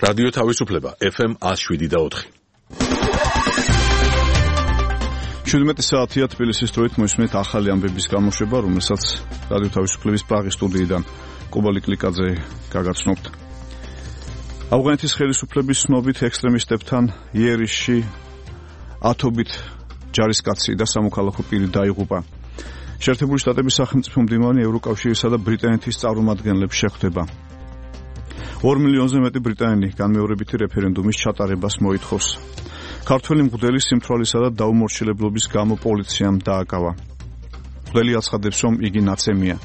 რადიო თავისუფლება FM 107.4. 17 საათია თბილისის დროით მოისმენთ ახალი ამბების გამოშვება, რომელსაც რადიო თავისუფლების პრაღის სტუდიიდან კობალი კლიკაძე გაგაცნობთ. ავღანეთის ხელისუფლების ცნობით ექსტრემისტებთან იერიშში ათობით ჯარისკაცი და სამოქალაქო პირი დაიღუპა. შეერთებული შტატების სახელმწიფო მდივანი ევროკავშირისა და ბრიტანეთის წარმომადგენლებს შეხვდება. 2 მილიონზე მეტი ბრიტანელი განმეორებითი რეფერენდუმის ჩატარებას მოითხოვს. ქართველი მღვდელი სიმთვრალისა და დაუმორჩილებლობის გამო პოლიციამ დააკავა. მღვდელი აცხადებს, რომ იგი ნაცემია.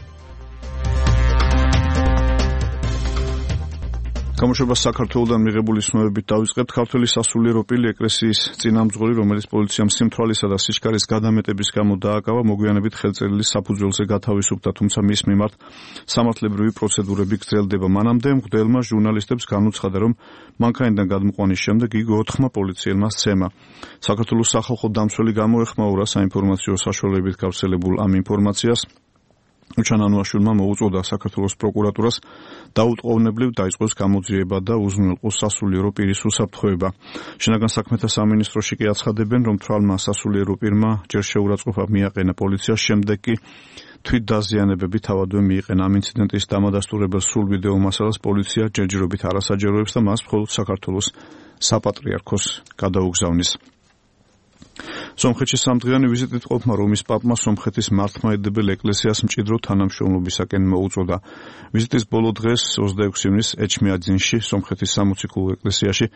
გამოშვებას საქართველოდან მიღებული ცნობებით დავიწყებთ. ქართველი სასულიერო პირი ეკლესიის წინამძღოლი, რომელიც პოლიციამ სიმთვრალისა და სიჩქარის გადამეტების გამო დააკავა, მოგვიანებით ხელწერილი საფუძველზე გათავისუფლდა, თუმცა მის მიმართ სამართლებრივი პროცედურები გრძელდება. მანამდე მღვდელმა ჟურნალისტებს განუცხადა, რომ მანქანიდან გადმოყვანის შემდეგ იგი 4 პოლიციელმა სცემა. საქართველოს სახალხო დამცველი გამოეხმაურა საინფორმაციო საშუალებებით გავრცელებულ ამ ინფორმაციას. უჩანანუაშვილმა მოუწოდა საქართველოს პროკურატურას დაუტყოვნებლივ დაიწყოს გამოძიება და უზრუნველყოს სასულიერო პირის უსაფრთხოება. შინაგან საქმეთა სამინისტროში კი აცხადებენ, რომ თვალმა სასულიერო პირმა ჯერ შეურაცხყოფა მიაყენა პოლიციას, შემდეგ კი თვითდაზიანებები თავადვე მიიყენა. ამ ინციდენტის დამადასტურებელ სრულ ვიდეო მასალას პოლიცია ჯერჯერობით არასაჯაროებს და მას მხოლოდ საქართველოს საპატრიარქოს გადაუგზავნის. სომხეთში სამდღიანი ვიზიტით ყოფნა რომის პაპმა სომხეთის მართლმადიდებელ ეკლესიას მჭიდრო თანამშრომლობისაკენ მოუწოდა. ვიზიტის ბოლო დღეს 26 ივნისს ეჩმიაძინში, სომხეთის სამოციქულო ეკლესიაში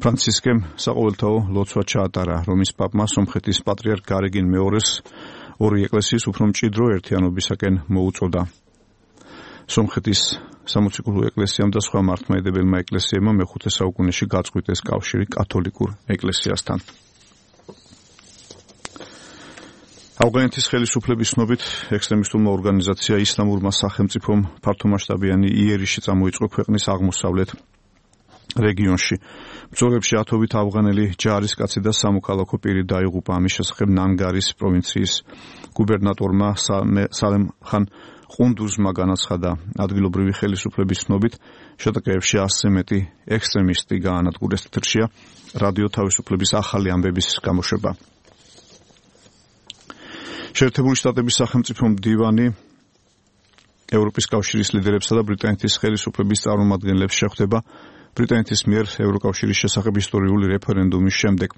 ფრანცისკემ საყოველთაო ლოცვა ჩაატარა. რომის პაპმა სომხეთის პატრიარქ გარეგინ მეორეს ორი ეკლესიის უფრო მჭიდრო ერთიანობისაკენ მოუწოდა. სომხეთის სამოციქულო ეკლესიამ და სხვა მართლმადიდებელმა ეკლესიებმა მე-5 საუკუნეში გაწყვიტეს კავშირი კათოლიკურ ეკლესიასთან. ავღანეთის ხელისუფლების ცნობით ექსტრემისტულმა ორგანიზაცია ისლამურმა სახელმწიფომ ფართომასშტაბიანი იერიში წამოიწყო ქვეყნის აღმოსავლეთ რეგიონში. ბრძოლებში ათობით ავღანელი ჯარისკაცი და სამოქალაქო პირი დაიღუპა. ამის შესახებ ნანგარის პროვინციის გუბერნატორმა სალემ ხან ყუნდუზმა განაცხადა. ადგილობრივი ხელისუფლების ცნობით შეტაკებებში 100-ზე მეტი ექსტრემისტი გაანადგურეს. თეთრშია რადიო თავისუფლების ახალი ამბების გამოშვება. შეერთებული შტატების სახელმწიფო მდივანი ევროპის კავშირის ლიდერებსა და ბრიტანეთის ხელისუფლების წარმომადგენლებს შეხვდება ბრიტანეთის მიერ ევროკავშირის შესახებ ისტორიული რეფერენდუმის შემდეგ.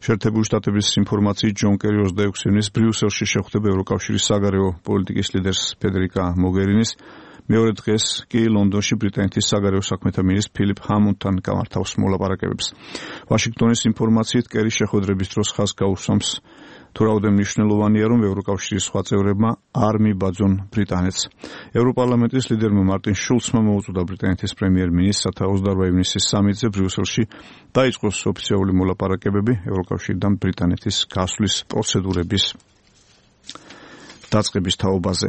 შეერთებული შტატების ინფორმაციით ჯონ კერი 26 ივნისს ბრიუსელში შეხვდება ევროკავშირის საგარეო პოლიტიკის ლიდერს ფედერიკა მოგერინის. მეორე დღეს კი ლონდონში ბრიტანეთის საგარეო საქმეთა მინისტრ ფილიპ ჰამონდთან გამართავს მოლაპარაკებებს. ვაშინგტონის ინფორმაციით კერი შეხვედრების დროს ხაზს გაუსვამს თუ რაოდენ მნიშვნელოვანია, რომ ევროკავშირის სხვა წევრებმა არ მიბაძონ ბრიტანეთს. ევროპარლამენტის ლიდერმა მარტინ შულცმა მოუწოდა ბრიტანეთის პრემიერ-მინისტრს 28 ივნისის სამიტზე ბრიუსელში დაიწყოს ოფიციალური მოლაპარაკებები ევროკავშირიდან ბრიტანეთის გასვლის პროცედურების დაწყების თაობაზე.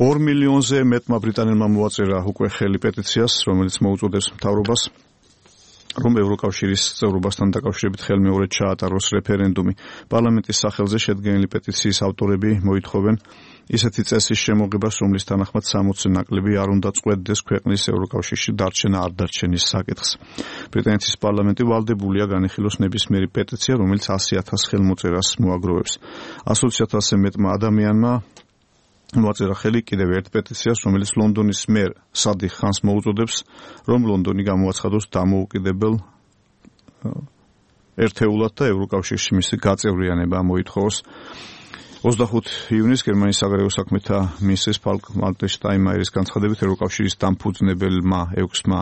2 მილიონზე მეტმა ბრიტანელმა მოაწერა უკვე ხელი პეტიციას, რომელიც მოუწოდებს მთავრობას რომ ევროკავშირის წევრობასთან დაკავშირებით ხელმეორედ ჩაატაროს რეფერენდუმი. პარლამენტის სახელზე შედგენილი პეტიციის ავტორები მოითხოვენ ისეთი წესის შემოღებას, რომლის თანახმად 60-ზე ნაკლები არ უნდა წყვეტდეს ქვეყნის ევროკავშირში დარჩენა არ დარჩენის საკითხს. ბრიტანეთის პარლამენტი ვალდებულია განიხილოს ნებისმიერი პეტიცია, რომელიც 100,000 ხელმოწერას მოაგროვებს. 120,000-ზე მეტმა ადამიანმა მოაწერა ხელი კიდევ ერთ პეტიციას, რომელიც ლონდონის მერ სადიხ ხანს მოუწოდებს, რომ ლონდონი გამოაცხადოს დამოუკიდებელ ერთეულად და ევროკავშირში მისი გაწევრიანება მოითხოვოს. 25 ივნისს გერმანიის საგარეო საქმეთა მინისტრის ფალკ-ვალტერ შტაინმაიერის განცხადებით ევროკავშირის დამფუძნებელმა 6-მა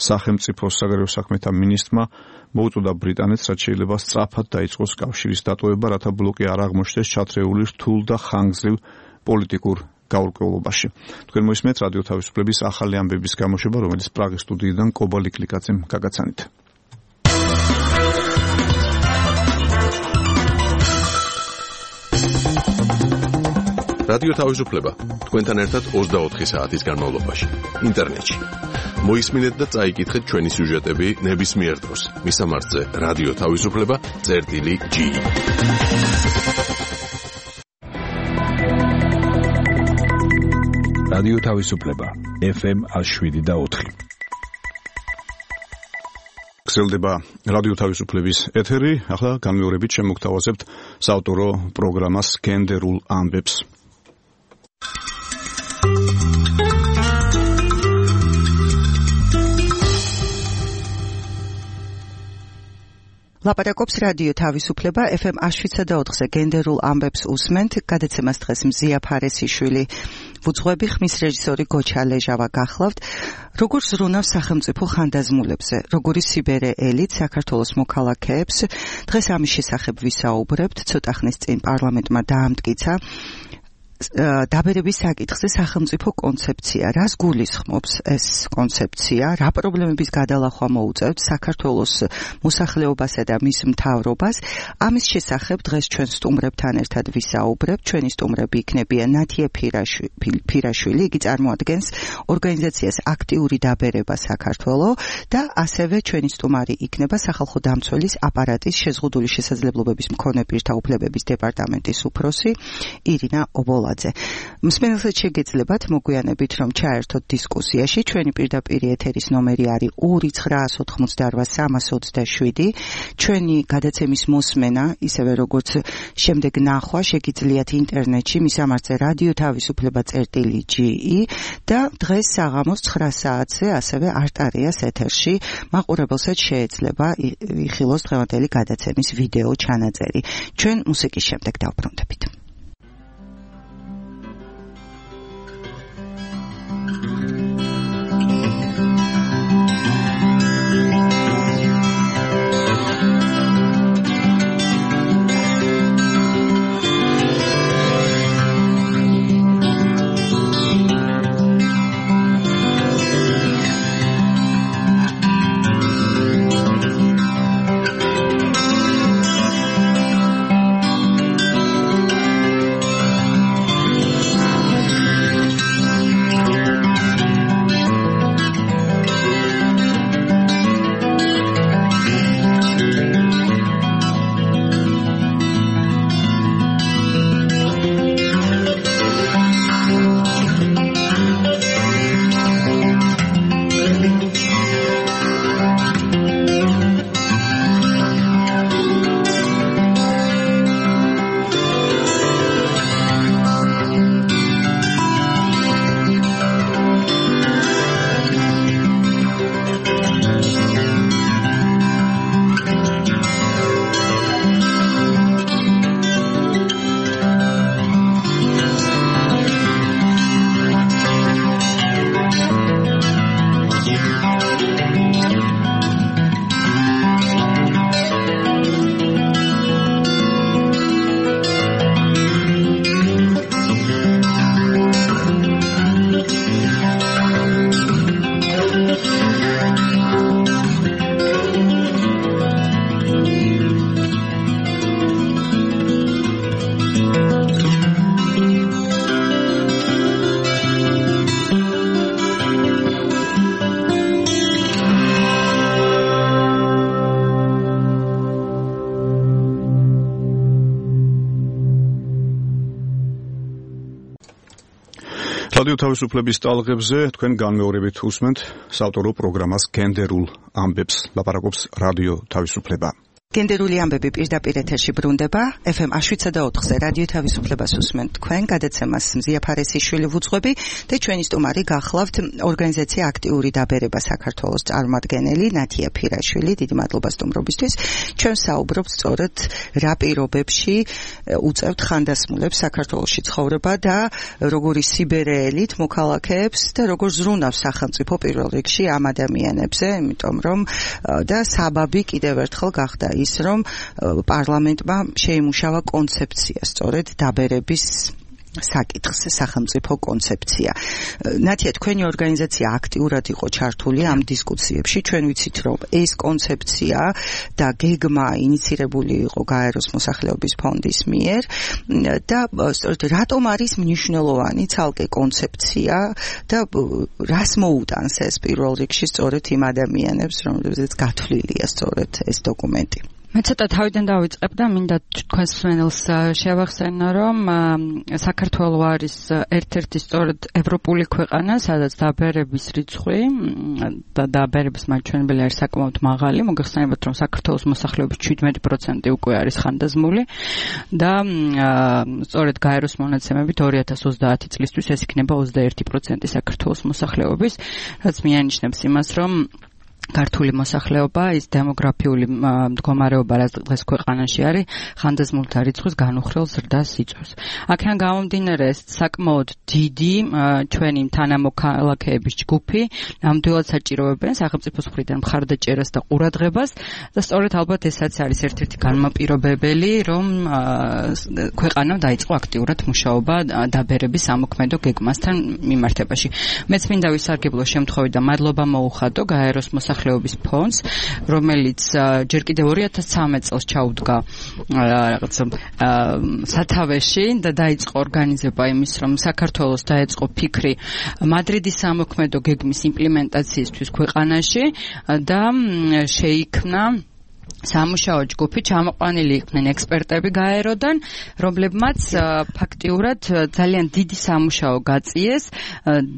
სახელმწიფოს საგარეო საქმეთა მინისტრმა მოუწოდა ბრიტანეთს, რაც შეიძლება სწრაფად დაიწყოს კავშირის დატოვება, რათა ბლოკი არ აღმოჩნდეს ჩათრეული რთულ და ხანგრძლივ პოლიტიკურ გაურკვევლობაში. თქვენ მოისმენთ რადიო თავისუფლების ახალი ამბების გამოშვება, რომელიც პრაღის სტუდიიდან კობალი კლიკაძემ გაგაცანით. რადიო თავისუფლება თქვენთან ერთად 24 საათის განმავლობაში ინტერნეტში. მოისმინეთ და წაიკითხეთ ჩვენი სიუჟეტები ნებისმიერ დროს. მისამართზე რადიო თავისუფლება.g. რადიო თავისუფლება FM 107.4 გრძელდება რადიო თავისუფლების ეთერი. ახლა განმეორებით შემოგთავაზებთ საავტორო პროგრამას გენდერულ ამბებს. ლაპარაკობს რადიო თავისუფლება FM 107.4-ზე გენდერულ ამბებს უსმენთ. გადაცემას დღეს მზია ფარესიშვილი ვუძღვები, ხმის რეჟისორი გოჩა ლეჟავა გახლავთ. როგორ ზრუნავს სახელმწიფო ხანდაზმულებზე, როგორი სიბერე ელით საქართველოს მოქალაქეებს, დღეს ამის შესახებ ვისაუბრებთ. ცოტა ხნის წინ პარლამენტმა დაამტკიცა დაბერების საკითხზე სახელმწიფო კონცეფცია. რას გულისხმობს ეს კონცეფცია? რა პრობლემების გადალახვა მოუწევთ საქართველოს მოსახლეობასა და მის მთავრობას? ამის შესახებ დღეს ჩვენ სტუმრებთან ერთად ვისაუბრებთ. ჩვენი სტუმრები იქნებიან ნათია ფირაშვილი, იგი წარმოადგენს ორგანიზაციას აქტიური დაბერება საქართველო და ასევე ჩვენი სტუმარი იქნება სახალხო დამცველის აპარატის შეზღუდული შესაძლებლობების მქონე პირთა უფლებების დეპარტამენტის უფროსი ირინა ობოლა. მსმენელსაც შეგეძლებათ მოგვიანებით რომ ჩაერთოთ დისკუსიაში. ჩვენი პირდაპირ ეთერის ნომერი არის 2988327. ჩვენი გადაცემის მოსმენა, ისევე როგორც შემდეგ ნახვა შეგიძლიათ ინტერნეტში მისამართზე რადიო თავისუფლება.ge და დღეს საღამოს 9 საათზე ასევე არტარიას ეთერში მაყურებელსაც შეეძლება იხილოს დღევანდელი გადაცემის ვიდეო ჩანაწერი. ჩვენ მუსიკის შემდეგ დავბრუნდებით. რადიო თავისუფლების ტალღებზე თქვენ განმეორებით უსმენთ საავტორო პროგრამას გენდერულ ამბებს. ლაპარაკობს რადიო თავისუფლება. გენდერული ამბები პირდაპირ ეთერში ბრუნდება. FM 107.4-ზე რადიო თავისუფლებას უსმენთ თქვენ. გადაცემას მზია ფარესიშვილი ვუძღვები და ჩვენი სტუმარი გახლავთ ორგანიზაცია აქტიური დაბერება საქართველოს წარმომადგენელი ნათია ფირაშვილი. დიდი მადლობა სტუმრობისთვის. ჩვენ საუბრობთ სწორედ რა პირობებში უწევთ ხანდასმულებს საქართველოში ცხოვრება და როგორი სიბერეელით მოქალაქეებს და როგორ ზრუნავს სახელმწიფო პირველ რიგში ამ ადამიანებზე, იმიტომ რომ და საბაბი კიდევ ერთხელ გახდა ის რომ პარლამენტმა შეიმუშავა კონცეფცია სწორედ დაბერების საკითხზე, სახელმწიფო კონცეფცია. ნათია, თქვენი ორგანიზაცია აქტიურად იყო ჩართული ამ დისკუსიებში. ჩვენ ვიცით, რომ ეს კონცეფცია და გეგმა ინიცირებული იყო გაეროს მოსახლეობის ფონდის მიერ და სწორედ რატომ არის მნიშვნელოვანი ცალკე კონცეფცია და რას მოუტანს ეს პირველ რიგში სწორედ იმ ადამიანებს, რომლებზეც გათვლილია სწორედ ეს დოკუმენტი. მე ცოტა თავიდან დავიწყებ და მინდა თქვენს მსმენელს შევახსენო, რომ საქართველო არის ერთ-ერთი სწორედ ევროპული ქვეყანა, სადაც დაბერების რიცხვი და დაბერების მაჩვენებელი არის საკმაოდ მაღალი. მოგეხსენებათ, რომ საქართველოს მოსახლეობის 17% უკვე არის ხანდაზმული და სწორედ გაეროს მონაცემებით 2030 წლისთვის ეს იქნება 21% საქართველოს მოსახლეობის, რაც მიანიშნებს იმას, რომ ქართული მოსახლეობა ის დემოგრაფიული მდგომარეობა რაც დღეს ქვეყანაში არის ხანდაზმულთა რიცხვის განუხრელ ზრდას იწვევს. აქედან გამომდინარე საკმაოდ დიდი ჩვენი თანამოქალაქეების ჯგუფი ნამდვილად საჭიროებენ სახელმწიფოს მხრიდან მხარდაჭერას და ყურადღებას და სწორედ ალბათ ესაც არის ერთ-ერთი განმაპირობებელი, რომ ქვეყანამ დაიწყო აქტიურად მუშაობა დაბერების სამოქმედო გეგმასთან მიმართებაში. მეც მინდა ვისარგებლო შემთხვევით და მადლობა მოუხადო გაეროს მოსახლეობის ფონდს, რომელიც ჯერ კიდევ 2013 წელს ჩაუდგა რაღაც სათავეში და დაიწყო ორგანიზება იმის, რომ საქართველოს დაეწყო ფიქრი მადრიდის სამოქმედო გეგმის იმპლემენტაციისთვის ქვეყანაში და შეიქმნა სამუშაო ჯგუფი, ჩამოყვანილი იყვნენ ექსპერტები გაეროდან, რომლებმაც ფაქტიურად ძალიან დიდი სამუშაო გაწიეს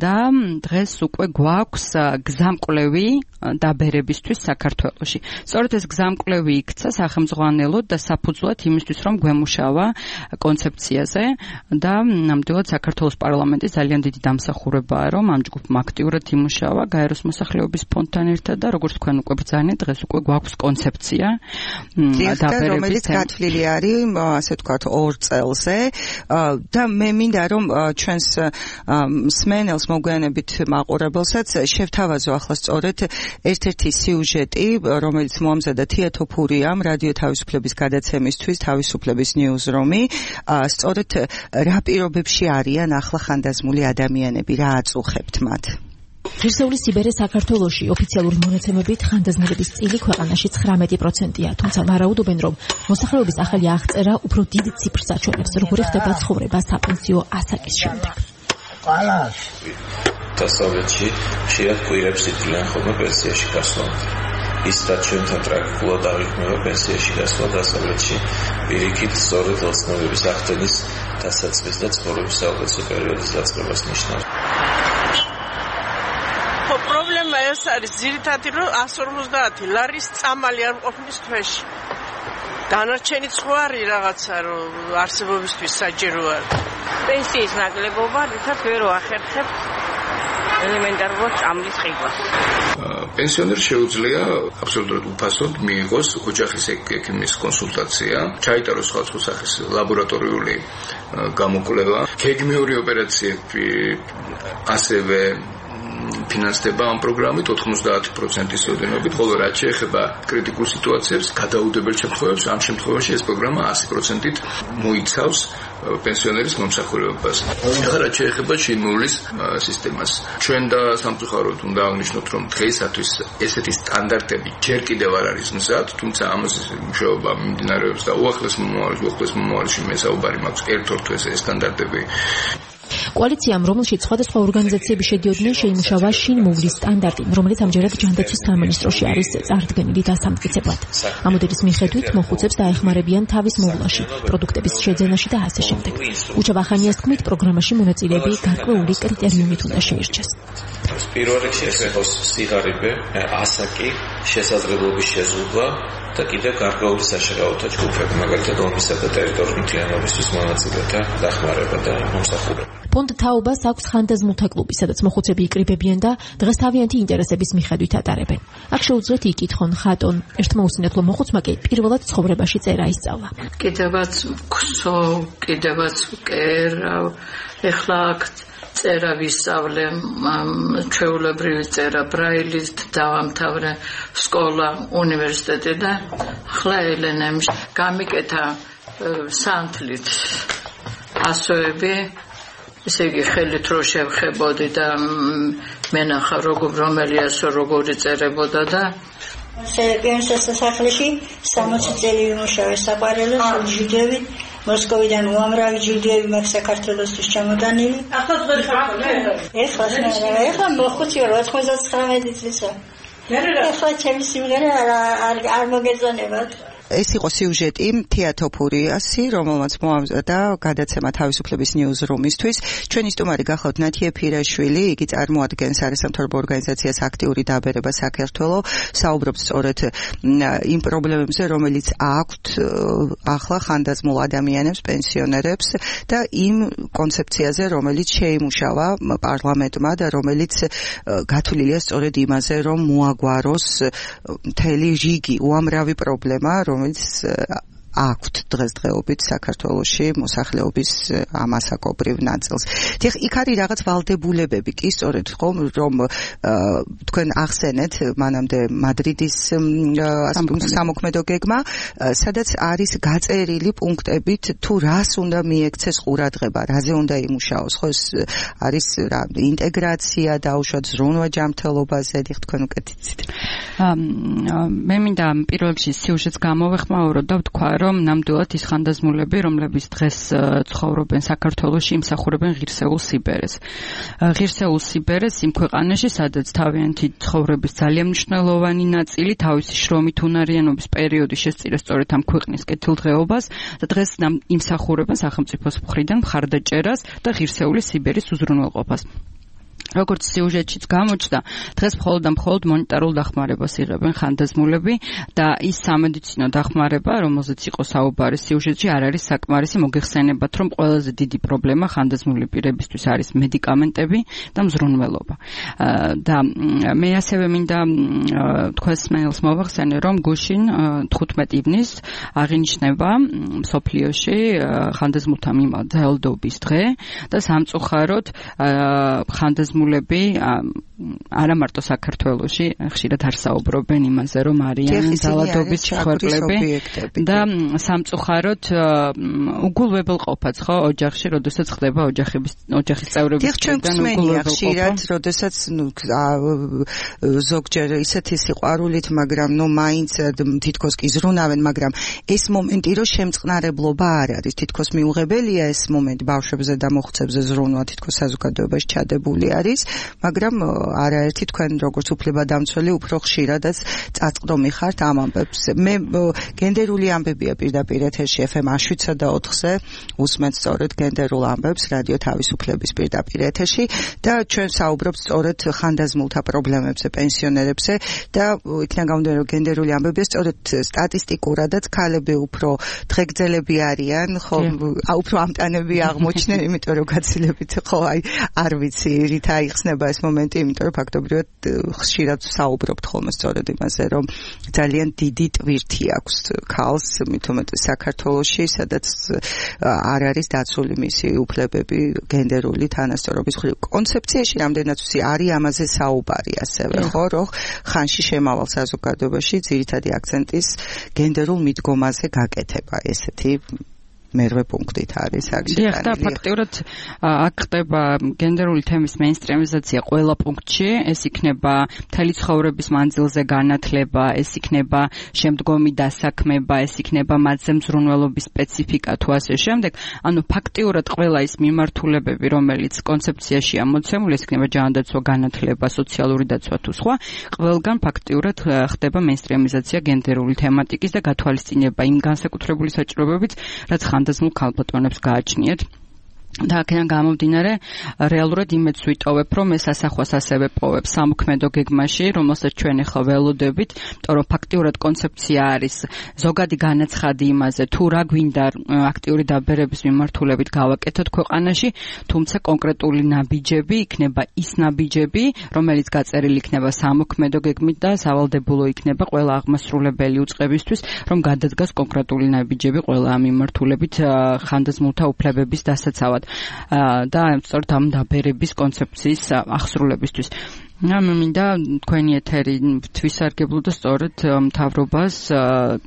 და დღეს უკვე გვაქვს გზამკვლევი დაბერებისთვის საქართველოში. სწორედ ეს გზამკვლევი იქცა სახელმძღვანელოდ და საფუძვლად იმისთვის, რომ გვემუშავა კონცეფციაზე და ნამდვილად საქართველოს პარლამენტის ძალიან დიდი დამსახურებაა, რომ ამ ჯგუფმა აქტიურად იმუშავა გაეროს მოსახლეობის ფონდთან ერთად და როგორც თქვენ უკვე ბრძანეთ, დღეს უკვე გვაქვს კონცეფცია რომელიც გათვლილი არის, ასე ვთქვათ, 2 წელზე და მე მინდა რომ ჩვენს მსმენელს მოგვიანებით მაყურებელსაც შევთავაზო ახლა სწორედ ერთ-ერთი სიუჟეტი, რომელიც მოამზადა თეატოფურიამ რადიო თავისუფლების გადაცემისთვის, თავისუფლების ნიუზრომი, სწორედ რა პირობებში არიან ახლა ხანდაზმული ადამიანები, რა აწუხებთ მათ? ღირსეული სიბერე საქართველოში ოფიციალური მონაცემებით ხანდაზმულების წილი ქვეყანაში 19%-ია, თუმცა ვარაუდობენ, რომ მოსახლეობის ახალი აღწერა უფრო დიდ ციფრს აჩვენებს, როგორი ხდება ცხოვრება საპენსიო ასაკის შემდეგ. დასავლეთში ხშირად კვირებს ითვლიან ხოლმე პენსიაში გასვლამდე. ის რაც ჩვენთან ტრაგიკულად აღიქმება პენსიაში გასვლა დასავლეთში პირიქით სწორედ ოცნებების ახდენის დასაწყის და ცხოვრების საუკეთესო პერიოდის დაწყებას ნიშნავს. პრობლემა ეს არის ძირითადად, რომ 150 ლარის წამალი არ მყოფნის თვეში. დანარჩენი სხვა არის რაღაცა, რომ არსებობისთვის საჭირო არის. პენსიის ნაკლებობა რითაც ვერ ვახერხებ ელემენტარულად წამლის ყიდვას. პენსიონერს შეუძლია აბსოლუტურად უფასოდ მიიღოს ოჯახის ექიმის კონსულტაცია, ჩაიტაროს სხვადასხვა სახის ლაბორატორიული გამოკვლევა, გეგმიური ოპერაციები ასევე ფინანსდება ამ პროგრამით 90%-ის ოდენობით, ხოლო რაც შეეხება კრიტიკულ სიტუაციებს, გადაუდებელ შემთხვევებს, ამ შემთხვევაში ეს პროგრამა 100%-ით მოიცავს პენსიონერის მომსახურებას. ახლა რაც შეეხება შინმოვლის სისტემას, ჩვენ და სამწუხაროდ უნდა აღნიშნოთ, რომ დღეისათვის ესეთი სტანდარტები ჯერ კიდევ არ არის მზად, თუმცა ამაზე მუშაობა მიმდინარეობს და უახლეს მომავალში მე საუბარი მაქვს ერთ-ერთ ეს სტანდარტები. კოალიციამ, რომელშიც სხვადასხვა ორგანიზაციები შედიოდნენ, შეიმუშავა შინმოვლის სტანდარტი, რომელიც ამჯერად ჯანდაცვის სამინისტროში არის წარდგენილი დასამტკიცებლად. ამ მოდელის მიხედვით მოხუცებს დაეხმარებიან თავის მოვლაში, პროდუქტების შეძენაში და ასე შემდეგ. უჩა ვახანიას თქმით, პროგრამაში მონაწილეები გარკვეული კრიტერიუმით უნდა შეირჩეს. პირველ რიგში ეს იყოს სიღარიბე, ასაკი, შესაძლებლობის შეზღუდვა და კიდევ გარკვეული საშინაოთა ჯგუფები, მაგალითად ომისა და ტერიტორიული მთლიანობისთვის მონაწილეთა დახმარება და მომსახურება. ფონდ თაობას აქვს ხანდაზმულთა კლუბი, სადაც მოხუცები იკრიბებიან და დღეს თავიანთი ინტერესების მიხედვით ატარებენ. აქ შეუძლიათ იკითხონ ხატონ, ერთმა უსინათ, რომ მოხუცმა კი პირველად ცხოვრებაში წერა ისწავლა. კიდევაც ვქსოვ, კიდევაც ვკერავ, ეხლა აქ წერა ვისწავლე, ჩვეულებრივი წერა ბრაილით, დავამთავრე სკოლა, უნივერსიტეტი და ახლა ელენემში გამიკეთა სანთლით ასოები, ესე იგი ხელით რო შევხებოდი და მენახა რომელი ასო როგორი წერებოდა და სერგეის სასახლეში 60 წელი ვიმუშავე საყვარელო ჯილდოებით მოსკოვიდან უამრავი ჯილდოები მაქვს საქართველოსთვის ჩამოტანილი. ეხლა მოხუცი 99 წლისა. ეხლა ჩემი სიმღერა არ მოგეწონებათ. ეს იყო სიუჟეტი თეატოფურიასი, რომელმაც მოამზადა გადაცემა თავისუფლების ნიუზრუმისთვის. ჩვენი სტუმარი გახლავთ ნათი ეფირაშვილი, იგი წარმოადგენს არასამთავრობო ორგანიზაციას აქტიური დაბერება საქართველო, საუბრობს სწორედ იმ პრობლემებზე, რომელიც აქვთ ახლა ხანდაზმულ ადამიანებს, პენსიონერებს და იმ კონცეფციაზე, რომელიც შეიმუშავა პარლამენტმა და რომელიც გათვლილია სწორედ იმაზე, რომ მოაგვაროს მთელი რიგი უამრავი პრობლემა, რომელიც აქვთ დღესდღეობით საქართველოში მოსახლეობის ამასაკობრივ ნაწილს. ეხლა იქ არის რაღაც ვალდებულებები, კი სწორედ ხომ, რომ თქვენ ახსენეთ მანამდე მადრიდის სამოქმედო გეგმა, სადაც არის გაწერილი პუნქტებით თუ რას უნდა მიექცეს ყურადღება, რაზე უნდა იმუშაოს, ხო ეს არის რა ინტეგრაცია, დაუშვათ ზრუნვა ჯანმრთელობაზე, ეხლა თქვენ უკეთიცით. მე მინდა პირველ რიგში სიუჟეტს გამოვეხმაურო და ვთქვა, რომ ნამდვილად ის ხანდაზმულები, რომლებიც დღეს ცხოვრობენ საქართველოში, იმსახურებენ ღირსეულ სიბერეს. ღირსეულ სიბერეს იმ ქვეყანაში, სადაც თავიანთი ცხოვრების ძალიან მნიშვნელოვანი ნაწილი თავისი შრომით უნარიანობის პერიოდი შესწირა სწორედ ამ ქვეყნის კეთილდღეობას და დღეს იმსახურებენ სახელმწიფოს მხრიდან მხარდაჭერას და ღირსეული სიბერის უზრუნველყოფას. როგორც სიუჟეტშიც გამოჩნდა, დღეს მხოლოდ მონეტარულ დახმარებას იღებენ ხანდაზმულები და ის სამედიცინო დახმარება, რომელზეც იყო საუბარი სიუჟეტში, არ არის საკმარისი. მოგეხსენებათ, რომ ყველაზე დიდი პრობლემა ხანდაზმული პირებისთვის არის მედიკამენტები და მზრუნველობა. და მე ასევე მინდა თქვენს მეილს მოვახსენე, რომ გუშინ 15 ივნის აღინიშნება მსოფლიოში ხანდაზმულთა მიმართ ძალადობის დღე და სამწუხაროდ ხანდაზმულები არა მარტო საქართველოში ხშირად არ საუბრობენ იმაზე, რომ არიან ძალადობის მსხვერპლები და სამწუხაროდ უგულვებელყოფაც ხო ოჯახში, როდესაც ხდება ოჯახის წევრების მხრიდან უგულვებელყოფა. ხშირად, როდესაც ზოგჯერ ისეთი სიყვარულით, მაგრამ მაინც თითქოს კი ზრუნავენ, მაგრამ ეს მომენტი რომ შემწყნარებლობა არ არის, თითქოს მიუღებელია ეს მომენტი ბავშვებზე და მოხუცებზე ზრუნვა, თითქოს საზოგადოებაში ჩადებული არის, მაგრამ არაერთი თქვენ როგორც უფლებადამცველი უფრო ხშირადაც წაწყდომი ხართ ამ ამბებს. მე გენდერული ამბებია პირდაპირ ეთერში FM 7-4-ზე უსმენთ სწორედ გენდერულ ამბებს რადიო თავისუფლების პირდაპირ ეთერში და ჩვენ საუბრობთ სწორედ ხანდაზმულთა პრობლემებზე, პენსიონერებზე და იქიდან გამომდინარე რომ გენდერული ამბებია სწორედ სტატისტიკურადაც ქალები უფრო დღეგრძელები არიან, ხო, უფრო ამტანები აღმოჩნდნენ, იმიტომ რომ გაცილებით ხო აი არ ვიცი რით აიხსნება ეს მომენტი, იმიტომ რომ ფაქტობრივად ხშირად საუბრობთ ხოლმე სწორედ იმაზე, რომ ძალიან დიდი ტვირთი აქვს ქალს, მით უმეტეს საქართველოში, სადაც არ არის დაცული მისი უფლებები გენდერული თანასწორობის მხრივ. კონცეფციაში რამდენად ვიცი, არის ამაზე საუბარი ასევე, ხო, რომ ხანში შემავალ საზოგადოებაში ძირითადი აქცენტის გენდერულ მიდგომაზე გაკეთება, ესეთი მერვე პუნქტით არის აქ შეტანილი. და ფაქტიურად აქ ხდება გენდერული თემის მეინსტრიმიზაცია ყველა პუნქტში, ეს იქნება მთელი ცხოვრების მანძილზე განათლება, ეს იქნება შემდგომი დასაქმება, ეს იქნება მათზე მზრუნველობის სპეციფიკა თუ ასე შემდეგ. ანუ ფაქტიურად ყველა ის მიმართულებები, რომელიც კონცეფციაშია მოცემული, ეს იქნება ჯანდაცვა, განათლება, სოციალური დაცვა თუ სხვა, ყველგან ფაქტიურად ხდება მეინსტრიმიზაცია გენდერული თემატიკის და გათვალისწინება იმ განსაკუთრებული საჭიროებებით, რაც ხანდაზმულ ქალბატონებს გააჩნიათ. და აქედან გამომდინარე რეალურად იმედს ვიტოვებ, რომ ეს ასახვას ასევე პოვებს სამოქმედო გეგმაში, რომელსაც ჩვენ ახლა ველოდებით, იმიტომ რომ ფაქტიურად კონცეფცია არის ზოგადი განაცხადი იმაზე, თუ რა გვინდა აქტიური დაბერების მიმართულებით გავაკეთოთ ქვეყანაში, თუმცა კონკრეტული ნაბიჯები იქნება ის ნაბიჯები, რომელიც გაწერილი იქნება სამოქმედო გეგმით და სავალდებულო იქნება ყველა აღმასრულებელი უწყებისთვის, რომ გადადგას კონკრეტული ნაბიჯები ყველა ამ მიმართულებით ხანდაზმულთა უფლებების დასაცავად. და სწორედ ამ დაბერების კონცეფციის აღსრულებისთვის. მე მინდა თქვენი ეთერი თვისარგებლო და სწორედ მთავრობას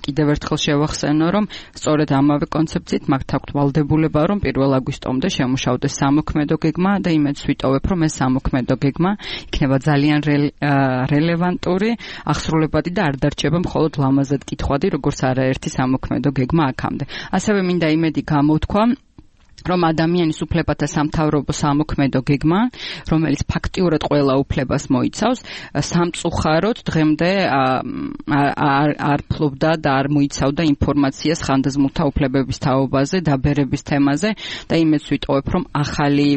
კიდევ ერთხელ შევახსენო, რომ სწორედ ამავე კონცეფციით მათ აქვთ ვალდებულება, რომ 1 აგვისტომდე შემუშავდეს სამოქმედო გეგმა და იმედს ვიტოვებ, რომ ეს სამოქმედო გეგმა იქნება ძალიან რელევანტური, აღსრულებადი და არ დარჩება მხოლოდ ლამაზად კითხვადი, როგორც არაერთი სამოქმედო გეგმა აქამდე. ასევე მინდა იმედი გამოვთქვა რომ ადამიანის უფლებათა სამთავრობო სამოქმედო გეგმა, რომელიც ფაქტიურად ყველა უფლებას მოიცავს, სამწუხაროდ დღემდე არ ფლობდა და არ მოიცავდა ინფორმაციას ხანდაზმულთა უფლებების თაობაზე, დაბერების თემაზე და იმეც ვიტყობ, რომ ახალი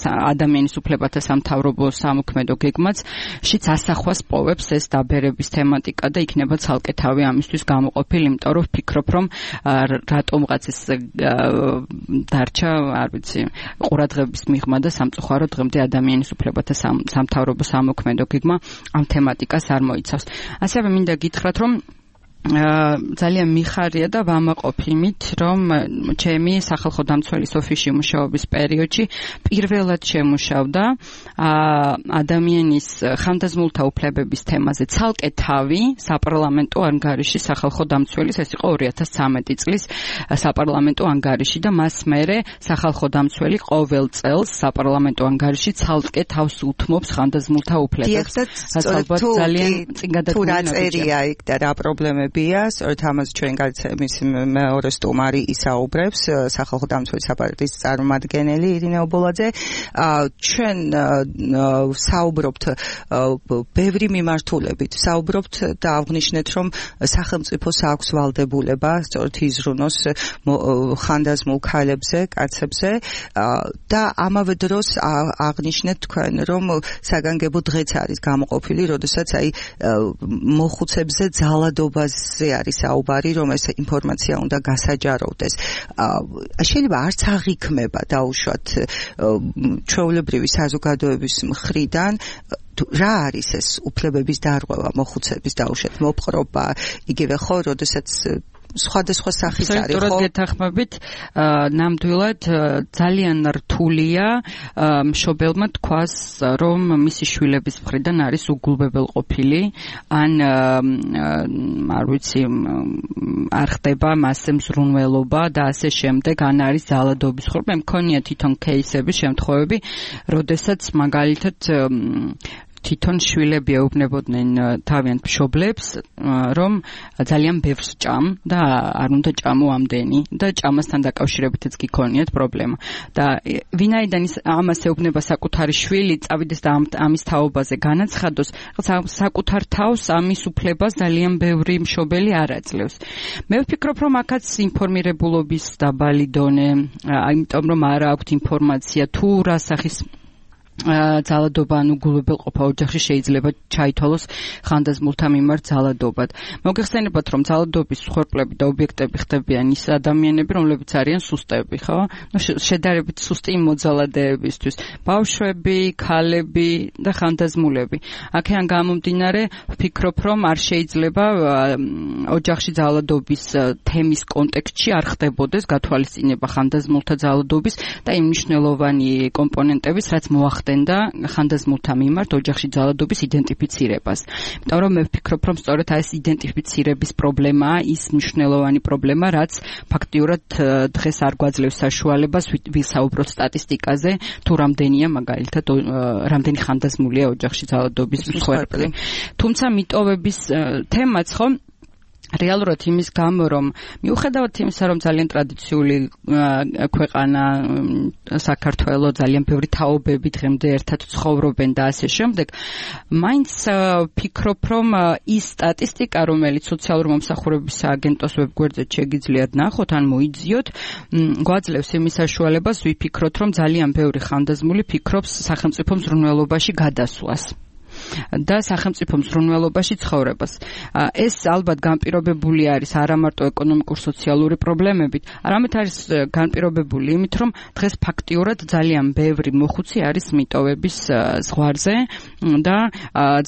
ადამიანის უფლებათა სამთავრობო სამოქმედო გეგმაც შიც ასახვას პოვებს ეს დაბერების თემატიკა და იქნება ცალკე თავი ამისთვის გამოყოფილი, იმიტომ რომ ვფიქრობ, რომ რატომღაც ეს დარჩა არ ვიცი, ყურადღების მიღმა და სამწუხაროდ დღემდე ადამიანის უფლებათა სამთავრობო სამოქმედო გეგმა ამ თემატიკას არ მოიცავს. ასევე მინდა გითხრათ, რომ ძალიან მიხარია და ვამაყობ იმით, რომ ჩემი სახალხო დამცველის ოფისში მუშაობის პერიოდში პირველად შემუშავდა ადამიანის ხანდაზმულთა უფლებების თემაზე ცალკე თავი საპარლამენტო ანგარიში სახალხო დამცველის, ეს იყო 2013 წლის საპარლამენტო ანგარიში და მას მერე სახალხო დამცველი ყოველ წელს საპარლამენტო ანგარიში ცალკე თავს უთმობს ხანდაზმულთა უფლებებს. ალბათ ძალიან წინ გადადგმულია იქ და რა პრობლემები სწორედ ამას ჩვენ გადაცემის მეორე სტუმარი ისაუბრებს, სახალხო დამცველის აპარატის წარმომადგენელი ირინა ობოლაძე. ჩვენ საუბრობთ ბევრი მიმართულებით, საუბრობთ და აღნიშნეთ, რომ სახელმწიფოს აქვს ვალდებულება სწორედ იზრუნოს ხანდაზმულ ქალებზე, კაცებზე და ამავე დროს აღნიშნეთ თქვენ, რომ საგანგებო დღეც არის გამოყოფილი, როდესაც მოხუცებზე ძალადობაზე არის საუბარი, რომ ეს ინფორმაცია უნდა გასაჯაროვდეს. შეიძლება არც აღიქმება დაუშვათ ჩვეულებრივი საზოგადოების მხრიდან რა არის ეს უფლებების დარღვევა, მოხუცების დაუშვათ მოპყრობა, იგივე ხო, როდესაც სხვადასხვა სახის არის, ხო? სწორად გეთანხმებით, ნამდვილად ძალიან რთულია მშობელმა თქვას, რომ მისი შვილების მხრიდან არის უგულვებელყოფილი, ან არ ვიცი, არ ხდება მასზე მზრუნველობა და ასე შემდეგ, ან არის ძალადობის ხორბა. მქონია თვითონ кейსები, შემთხვევები, როდესაც მაგალითად თვითონ შვილები ეუბნებოდნენ თავიანთ მშობლებს, რომ ძალიან ბევრს ჭამ და არ უნდა ჭამო ამდენი და ჭამასთან დაკავშირებითაც გიქონიათ პრობლემა. და ვინაიდან ის ამას ეუბნება საკუთარი შვილი, წავიდეს და ამის თაობაზე განაცხადოს, საკუთარ თავს ამის უფლებას ძალიან ბევრი მშობელი არ აძლევს. მე ვფიქრობ, რომ აქაც ინფორმირებულობის დაბალი დონე, იმიტომ რომ არ აქვთ ინფორმაცია თუ რა სახის ძალადობა ან უგულვებელყოფა ოჯახში შეიძლება ჩაითვალოს ხანდაზმულთა მიმართ ძალადობად. მოგეხსენებათ, რომ ძალადობის მსხვერპლები და ობიექტები ხდებიან ის ადამიანები, რომლებიც არიან სუსტები, ხო? შედარებით სუსტი მოძალადეებისთვის. ბავშვები, ქალები და ხანდაზმულები. აქედან გამომდინარე, ვფიქრობ, რომ არ შეიძლება ოჯახში ძალადობის თემის კონტექსტში არ ხდებოდეს გათვალისწინება ხანდაზმულთა ძალადობის და იმ მნიშვნელოვანი კომპონენტების, რაც მოახდინა და ხანდაზმულთა მიმართ ოჯახში ძალადობის იდენტიფიცირებას. იმიტომ რომ მე ვფიქრობ, რომ სწორედ ეს იდენტიფიცირების პრობლემაა ის მნიშვნელოვანი პრობლემა, რაც ფაქტიურად დღეს არ გვაძლევს საშუალებას ვისაუბროთ სტატისტიკაზე, თუ რამდენია მაგალითად რამდენი ხანდაზმულია ოჯახში ძალადობის მსხვერპლი. თუმცა მიტოვების თემაც ხო რეალურად იმის გამო, რომ მიუხედავად იმისა, რომ ძალიან ტრადიციული ქვეყანა საქართველო, ძალიან ბევრი თაობები დღემდე ერთად ცხოვრობენ და ასე შემდეგ, მაინც ვფიქრობ, რომ ის სტატისტიკა, რომელიც სოციალური მომსახურების სააგენტოს ვებგვერდზე შეგიძლიათ ნახოთ, ან მოიძიოთ, გვაძლევს იმის საშუალებას ვიფიქროთ, რომ ძალიან ბევრი ხანდაზმული ფიქრობს სახელმწიფო მზრუნველობაში გადასვლას და სახელმწიფო მზრუნველობაში ცხოვრებას. ეს ალბათ განპირობებული არის არა მარტო ეკონომიკურ-სოციალური პრობლემებით, არამედ არის განპირობებული იმით, რომ დღეს ფაქტიურად ძალიან ბევრი მოხუცი არის მიტოვების ზღვარზე და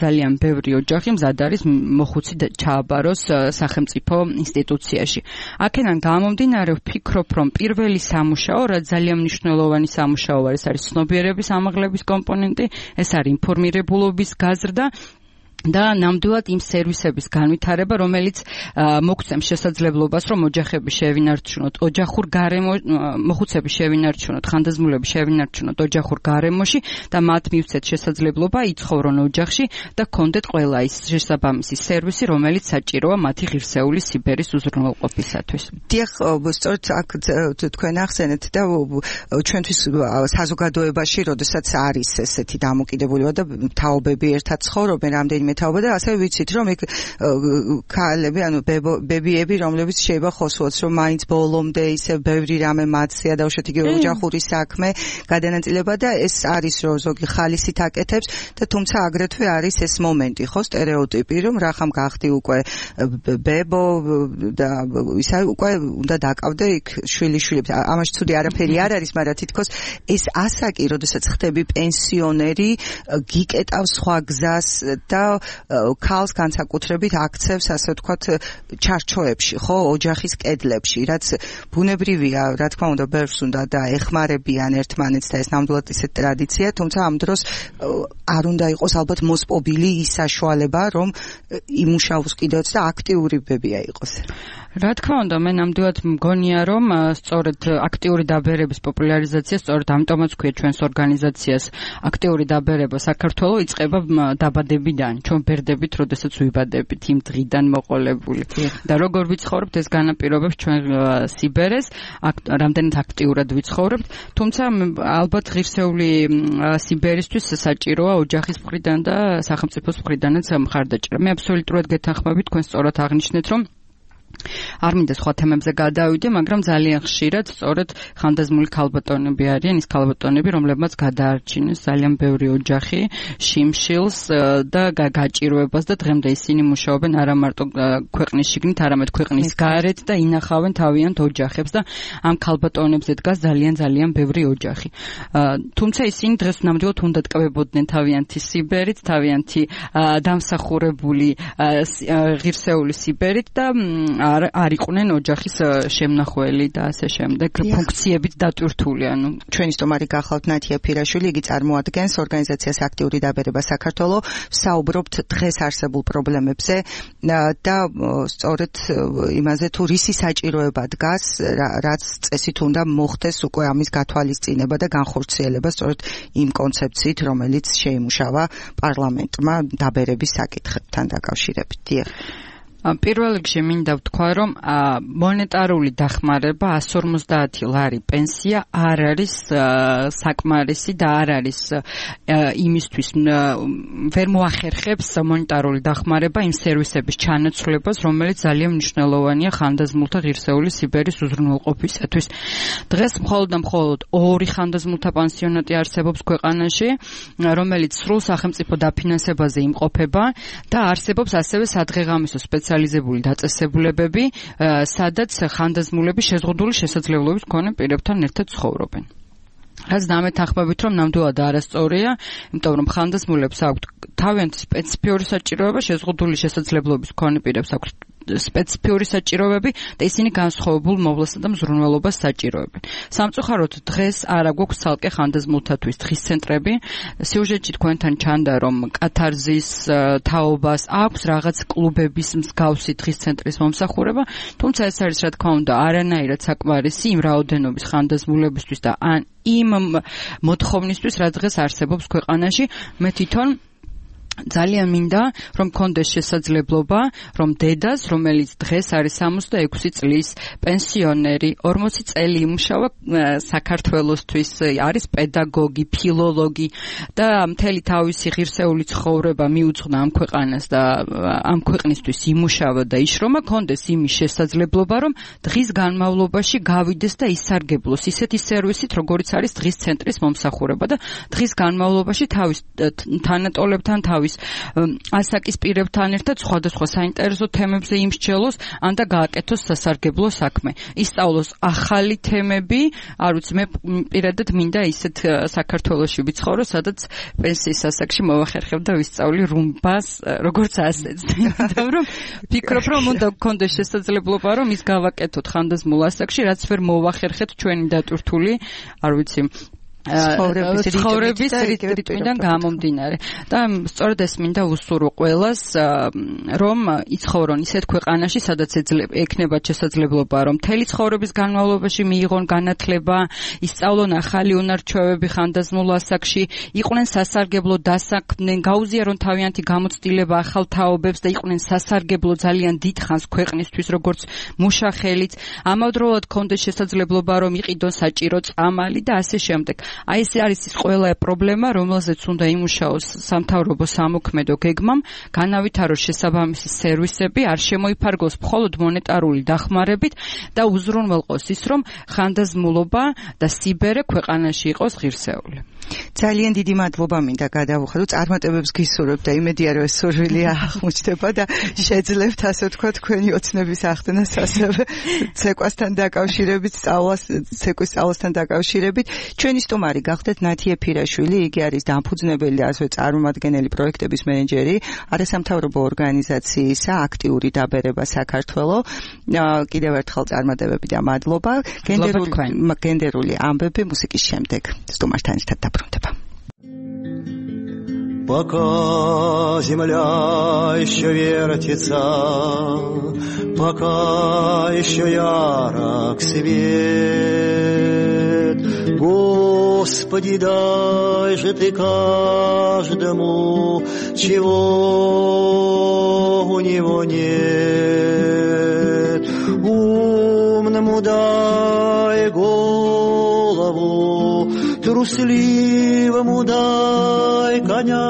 ძალიან ბევრი ოჯახი მზად არის მოხუცი ჩააბაროს სახელმწიფო ინსტიტუციაში. აქედან გამომდინარე ვფიქრობ, რომ პირველი სამუშაო, რაც ძალიან მნიშვნელოვანი სამუშაო არის ცნობიერების ამაღლების კომპონენტი, ეს არის ინფორმირებულობის გაზრდა და ნამდვილად იმ სერვისების განვითარება, რომელიც მოგცემს შესაძლებლობას, რომ ოჯახები შევინარჩუნოთ, ოჯახურ გარემო მოხუცები შევინარჩუნოთ, ხანდაზმულები შევინარჩუნოთ ოჯახურ გარემოში და მათ მივცეთ შესაძლებლობა იცხოვრონ ოჯახში და გქონდეთ ყველა ის შესაბამისი სერვისი, რომელიც საჭიროა მათი ღირსეული სიბერის უზრუნველყოფისათვის. დიახ, სწორედ აქ თქვენ ახსენეთ და ჩვენთვის საზოგადოებაში, როდესაც არის ესეთი დამოკიდებულება და თაობები ერთად ცხოვრობენ, რამდენიმე მეთაობა და ასევე ვიცით რომ იქ ქალები ანუ ბებიები რომლებიც შეიძლება խոսულოთ რომ მაინც ბოლომდე ისე ბევრი რამე მათსია დაუშვათ იგივე ოჯახური საქმე გადანაწილება და ეს არის რომ ზოგი ხალისით აკეთებს და თუმცა აგრეთვე არის ეს მომენტი ხო სტერეოტიპი რომ რახამ გახდი უკვე ბებო და ისა უკვე უნდა დაკავდე იქ შვილიშვილებს ამაში ცუდი არაფერი არ არის მაგრამ თითქოს ეს ასაკი როდესაც ხდები პენსიონერი გიკეტავს სხვა გზას და ქალს განსაკუთრებით აქცევს ასე ვთქვათ ჩარჩოებში ხო ოჯახის კედლებში რაც ბუნებრივია რა თქმა უნდა ბევრს უნდა და ეხმარებიან ერთმანეთს და ეს ნამდვილად ისეთ ტრადიცია თუმცა ამ დროს არ უნდა იყოს ალბათ მოსპობილი ის საშუალება რომ იმუშაოს კიდევაც და აქტიური ბებია იყოს რა თქმა უნდა მე ნამდვილად მგონია რომ სწორედ აქტიური დაბერების პოპულარიზაცია სწორედ ამიტომაც ქვია ჩვენს ორგანიზაციას აქტიური დაბერება საქართველოს იწყება დაბადებიდან ჩვენ ბერდებით როდესაც ვიბადებით იმ დღიდან მოყოლებული და როგორ ვიცხოვრებთ ეს განაპირობებს ჩვენ სიბერეს რამდენად აქტიურად ვიცხოვრებთ თუმცა ალბათ ღირსეული სიბერისთვის საჭიროა ოჯახის მხრიდან და სახელმწიფოს მხრიდანაც მხარდაჭერა მე აბსოლუტურად გეთანხმებით თქვენ სწორად აღნიშნეთ რომ არ მინდა სხვა თემებზე გადავიდე, მაგრამ ძალიან ხშირად სწორედ ხანდაზმული ქალბატონები არიან, ის ქალბატონები, რომლებმაც გადაარჩინეს ძალიან ბევრი ოჯახი, შიმშილს და გაჭირვებას და დღემდე ისინი მუშაობენ არა მარტო ქვეყნის შიგნით, არამედ ქვეყნის გარეთ და ინახავენ თავიანთ ოჯახებს და ამ ქალბატონებზე დგას ძალიან ბევრი ოჯახი. თუმცა ისინი დღეს ნამდვილად უნდა ტკბებოდნენ თავიანთი სიბერით, თავიანთი დამსახურებული ღირსეული სიბერით და არ იყვნენ ოჯახის შემნახველი და ასე შემდეგ ფუნქციებით დატვირთული ანუ ჩვენი სტუმარი გახლავთ ნათია ფირაშვილი იგი წარმოადგენს ორგანიზაციას აქტიური დაბერება საქართველოს საუბრობთ დღეს არსებულ პრობლემებზე და სწორედ იმაზე თუ რისი საჭიროება დგას რაც წესით უნდა მოხდეს უკვე ამის გათვალისწინება და განხორციელება სწორედ იმ კონცეფციით რომელიც შეიმუშავა პარლამენტმა დაბერების საკითხებთან დაკავშირებით დიახ პირველ რიგში მინდა ვთქვა, რომ მონეტარული დახმარება 150 ლარი პენსია არ არის საკმარისი და არ არის იმისთვის ვერ მოახერხებს მონეტარული დახმარება იმ სერვისების ჩანაცვლებას, რომელიც ძალიან მნიშვნელოვანია ხანდაზმულთა ღირსეული სიბერის უზრუნველყოფისათვის. დღეს მხოლოდ და მხოლოდ 2 ხანდაზმულთა პანსიონატი არსებობს ქვეყანაში, რომელიც სრულ სახელმწიფო დაფინანსებაზე იმყოფება და არსებობს ასევე სადღეღამისო სპეციალიზებული დაწესებულებები, სადაც ხანდაზმულები შეზღუდული შესაძლებლობის მქონე პირებთან ერთად ცხოვრობენ. რაც დამეთანხმებით, რომ ნამდვილად არასწორია, იმიტომ რომ ხანდაზმულებს აქვთ თავიანთი სპეციფიური საჭიროება, შეზღუდული შესაძლებლობის მქონე პირებს აქვთ სპეციფიური საჭიროებები და ისინი განსხვავებულ მოვლასა და მზრუნველობას საჭიროებენ. სამწუხაროდ დღეს არა გვაქვს ცალკე ხანდაზმულთათვის დღის ცენტრები. სიუჟეტში თქვენთან ჩანდა, რომ კათარზის თაობას აქვს რაღაც კლუბების მსგავსი დღის ცენტრის მომსახურება, თუმცა ეს არის რა თქმა უნდა არანაირად საკმარისი იმ რაოდენობის ხანდაზმულებისთვის და იმ მოთხოვნისთვის, რაც დღეს არსებობს ქვეყანაში. მე თვითონ ძალიან მინდა რომ კონდეს შესაძლებლობა რომ დედას რომელიც დღეს არის 66 წლის პენსიონერი 40 წელი იმუშავა საქართველოსთვის არის პედაგოგი ფილოლოგი და მთელი თავისი ღირსეული ცხოვრება მიუძღვნა ამ ქვეყანას და ამ ქვეყნისთვის იმუშავა და იშრომა კონდეს იმის შესაძლებლობა რომ დღის განმავლობაში გავიდეს და ისარგებლოს ისეთი სერვისით როგორც არის დღის ცენტრის მომსახურება და დღის განმავლობაში თავის თანატოლებთან თავის ასაკის პირებთან ერთად სხვადასხვა საინტერესო თემებზე იმსჯელოს, ან და გააკეთოს სასარგებლო საქმე. ისწავლოს ახალი თემები, არ ვიცი, მე პირადად მინდა ისეთ საქართველოში ვიცხოვრო, სადაც პენსიის ასაკში მოვახერხებ და ვისწავლი რუმბას, როგორც ასეც. იმიტომ რომ ფიქრობ, რომ უნდა გქონდეს შესაძლებლობა, რომ ის გავაკეთოთ ხანდაზმულ ასაკში, რაც ვერ მოვახერხეთ ჩვენი დატვირთული, არ ვიცი, ცხოვრების რიტმიდან გამომდინარე და სწორედ ეს მინდა უსურვო ყველას რომ იცხოვრონ ისეთ ქვეყანაში სადაც ექნებათ შესაძლებლობა რომ მთელი ცხოვრების განმავლობაში მიიღონ განათლება ისწავლონ ახალი უნარ-ჩვევები ხანდაზმულ ასაკში იყვნენ სასარგებლო დასაქმდნენ გაუზიარონ თავიანთი გამოცდილება ახალ თაობებს და იყვნენ სასარგებლო ძალიან დიდ ხანს ქვეყნისთვის როგორც მუშახელიც ამავდროულად ქონდეს შესაძლებლობა რომ იყიდონ საჭირო წამალი და ასე შემდეგ აი ეს არის ის ყველა პრობლემა, რომელზეც უნდა იმუშაოს სამთავრობო სამოქმედო გეგმამ, განავითაროს შესაბამისი სერვისები, არ შემოიფარგლოს მხოლოდ მონეტარული დახმარებით და უზრუნველყოს ის, რომ ხანდაზმულობა და სიბერე ქვეყანაში იყოს ღირსეული. ძალიან დიდი მადლობა მინდა გადავუხადოთ წარმატებებს გისურვებ და იმედია რომ ეს სურვილი აღმოჩნდება და შეძლებთ ასე ვთქვათ თქვენი ოცნების ახდენას ასევე ცეკვასთან დაკავშირებით ცეკვის სწავლასთან დაკავშირებით ჩვენი სტუმარი გახდეთ ნათი ეფირაშვილი იგი არის დამფუძნებელი და ასევე წარმომადგენელი პროექტების მენეჯერი არასამთავრობო ორგანიზაციისა აქტიური დაბერება საქართველოს კიდევ ერთხელ წარმატებები და მადლობა გენდერული ამბები მუსიკის შემდეგ სტუმართან ერთად დაბრუნდება. Пока земля еще вертится, пока еще ярок свет, Господи, дай же Ты каждому, чего у него нет. Умному дай голову, трусливому дай коня,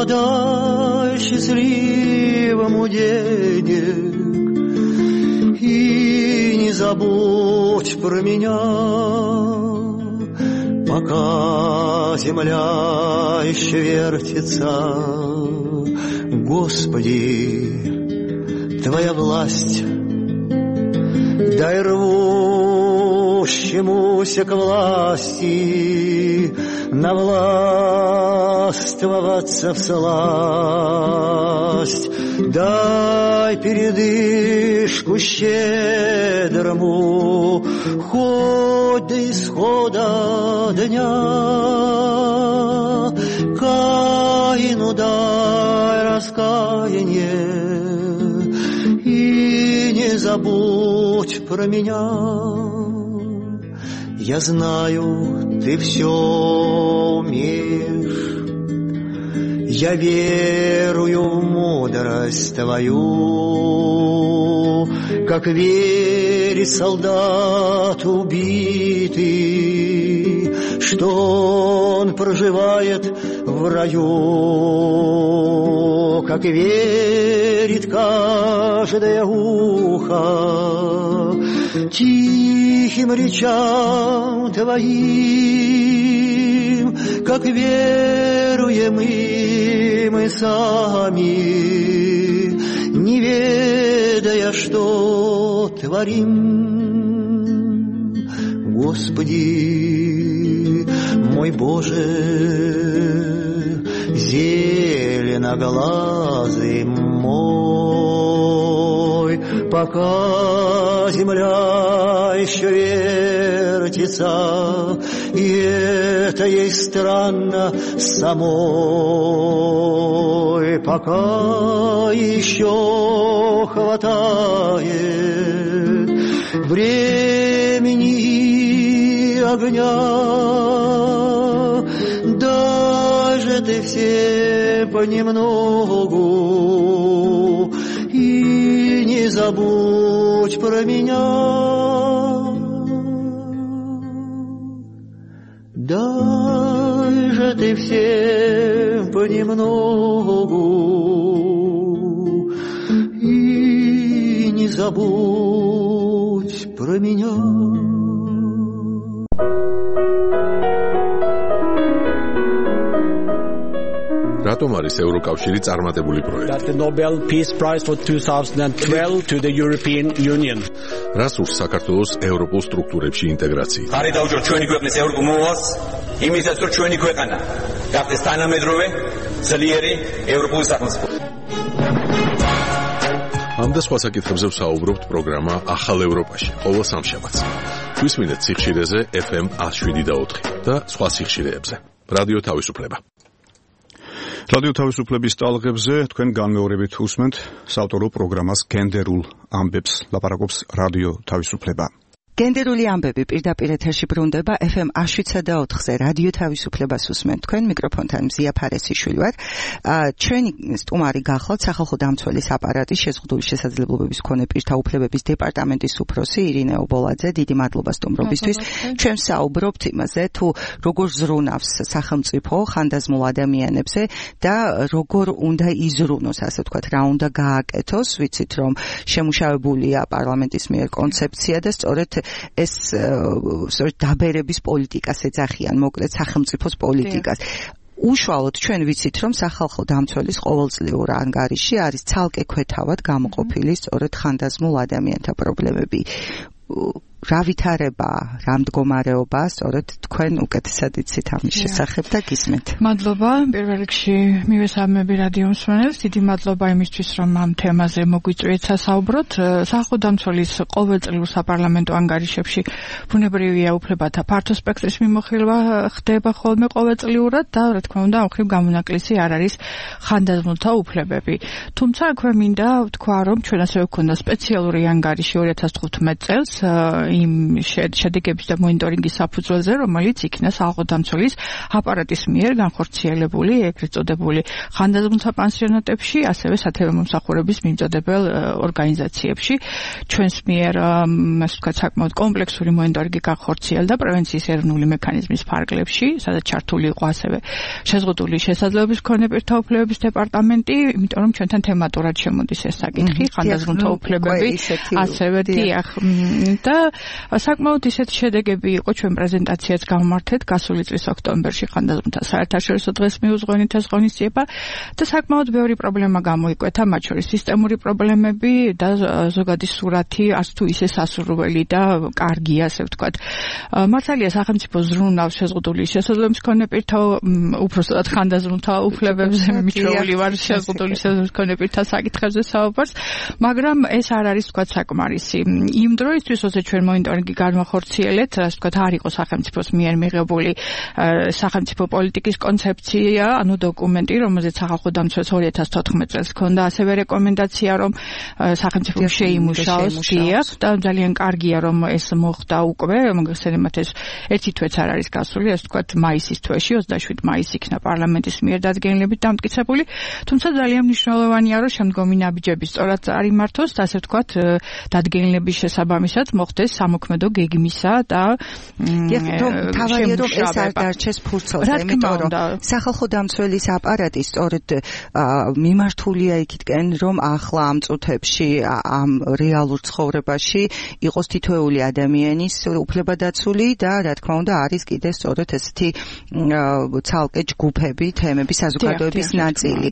дай счастливому денег и не забудь про меня, пока земля еще вертится. Господи, Твоя власть, дай рвущемуся к власти навластвоваться всласть, дай передышку щедрому хоть до исхода дня, Каину дай раскаяние и не забудь про меня. Я знаю, Ты все умеешь, я верую в мудрость Твою, как верит солдат убитый, что он проживает в раю, как верит каждое ухо тихим речам Твоим, как веруем и мы сами, не ведая, что творим. Господи, мой Боже, зеленоглазый мой, пока земля еще вертится, и это ей странно самой, пока еще хватает времени и огня, даже Ты все понемногу и не забудь про меня. Дай же Ты всем понемногу и не забудь про меня. რატომ არის ევროკავშირი წარმატებული პროექტი? The Nobel Peace Prize for 2012 to the European Union. რას ურს საქართველოს ევროპულ სტრუქტურებში ინტეგრაცია? ხარი დაუჭირ ჩვენი ქვეყნის ევროპულ მოვალს, იმისაც რომ ჩვენი ქვეყანა გახდეს თანამედროვე, ძლიერი ევროპული სახელმწიფო. ამ და სხვა საკითხებზე ვსაუბრობთ პროგრამა ახალ ევროპაში, ყოველ სამშაბათს. გვისმინეთ სიხშირეზე FM 107.4 და სხვა სიხშირეებზე. რადიო თავისუფლება. რადიო თავისუფლების ტალღებზე თქვენ განმეორებით უსმენთ საავტორო პროგრამას გენდერულ ამბებს. ლაპარაკობს რადიო თავისუფლება. გენდერული ამბები პირდაპირ ეთერში ბრუნდება FM 107.4-ზე რადიო თავისუფლებას უსმენთ თქვენ მიკროფონთან მზია ფარესიშვილი ვარ. ჩვენი სტუმარი გახლავთ სახალხო დამცველის აპარატის შეზღუდული შესაძლებლობების მქონე პირთა უფლებების დეპარტამენტის უფროსი ირინე ობოლაძე. დიდი მადლობა სტუმრობისთვის. ჩვენ საუბრობთ იმაზე თუ როგორ ზრუნავს სახელმწიფო ხანდაზმულ ადამიანებზე და როგორ უნდა იზრუნოს, ასე ვთქვათ, რა უნდა გააკეთოს. ვიცით რომ შემუშავებულია პარლამენტის მიერ კონცეფცია და სწორედ ეს დაბერების პოლიტიკას ეძახიან, მოკლედ სახელმწიფოს პოლიტიკას. უშუალოდ ჩვენ ვიცით რომ სახალხო დამცველის ყოველწლიურ ანგარიში არის ცალკე ქვეთავად გამოყოფილი სწორედ ხანდაზმულ ადამიანთა პრობლემები. რა ვითარება, რა მდგომარეობა, სწორედ თქვენ უკეთესად იცით ამის შესახებ და გისმენთ. მადლობა, პირველ რიგში მივესალმები რადიო მსმენელს, დიდი მადლობა იმისთვის, რომ ამ თემაზე მოგვიწვიეთ სასაუბროთ. სახალხო დამცველის ყოველწლიურ საპარლამენტო ანგარიშებში ბუნებრივია უფლებათა ფართო სპექტრის მიმოხილვა ხდება ხოლმე ყოველწლიურად და რა თქმა უნდა, ამ ხრივ გამონაკლისი არ არის ხანდაზმულთა უფლებები. თუმცა აქვე მინდა ვთქვა, რომ ჩვენ ასევე გვქონდა სპეციალური ანგარიში 2015 წელს იმ შედეგების და მონიტორინგის საფუძველზე, რომელიც იქნა სახალხო დამცველის აპარატის მიერ განხორციელებული, ეგრეთ წოდებული ხანდაზმულთა პანსიონატებში, ასევე სათემო მომსახურების მიმწოდებელ ორგანიზაციებში. ჩვენს მიერ, ასე ვთქვათ, საკმაოდ კომპლექსური მონიტორინგი განხორციელდა პრევენციის ეროვნული მექანიზმის ფარგლებში, სადაც ჩართული იყო ასევე შეზღუდული შესაძლებლობის მქონე პირთა უფლებების დეპარტამენტი, იმიტომ რომ ჩვენთან თემატურად შემოდის ეს საკითხი, ხანდაზმულთა უფლებები, ასევე დიახ და საკმაოდ ისეთ შედეგები იყო ჩვენ პრეზენტაციაც გავმართეთ გასული წლის ოქტომბერში ხანდაზმულთა საერთაშორისო დღეს მიუძღვენით ეს ღონისძიება და საკმაოდ ბევრი პრობლემა გამოიკვეთა, მათ შორის სისტემური პრობლემები და ზოგადი სურათი არც თუ ისე სასურველი და კარგი, ასე ვთქვათ. მართალია სახელმწიფო ზრუნავს შეზღუდული შესაძლებლობის მქონე პირთა უпростоად ხანდაზმულთა უფლებებზე მიჩვეული ვარ შეზღუდული შესაძლებლობის მქონე პირთა საკითხებზე საუბარს, მაგრამ ეს არ არის ვთქვათ საკმარისი. იმ დროისთვის როცა ჩვენ მონიტორინგი განვახორციელეთ, ასე ვთქვათ, არ იყო სახელმწიფოს მიერ მიღებული სახელმწიფო პოლიტიკის კონცეფცია, ანუ დოკუმენტი, რომელზეც სახალხო დამცველს 2014 წელს ჰქონდა ასევე რეკომენდაცია, რომ სახელმწიფო შეიმუშაოს, დიახ, და ძალიან კარგია, რომ ეს მოხდა უკვე, მოგეხსენებათ ეს ერთი თვეც არ არის გასული, ასე ვთქვათ, მაისის თვეში, 27 მაისს იქნა პარლამენტის მიერ დადგენილებით დამტკიცებული, თუმცა ძალიან მნიშვნელოვანია, რომ შემდგომი ნაბიჯები სწორად წარიმართოს და ასე ვთქვათ, დადგენილების შესაბამისად მოხდეს სამოქმედო გეგმისა და თავარია რომ ეს არ დარჩეს ფურცელზე, იმიტომ რომ სახალხო დამცველის აპარატი სწორედ მიმართულია იქითკენ, რომ ახლა ამ წუთებში ამ რეალურ ცხოვრებაში იყოს თითოეული ადამიანის უფლება დაცული და რა თქმა უნდა არის კიდე სწორედ ესეთი ცალკე ჯგუფები, თემები, საზოგადოების ნაწილი.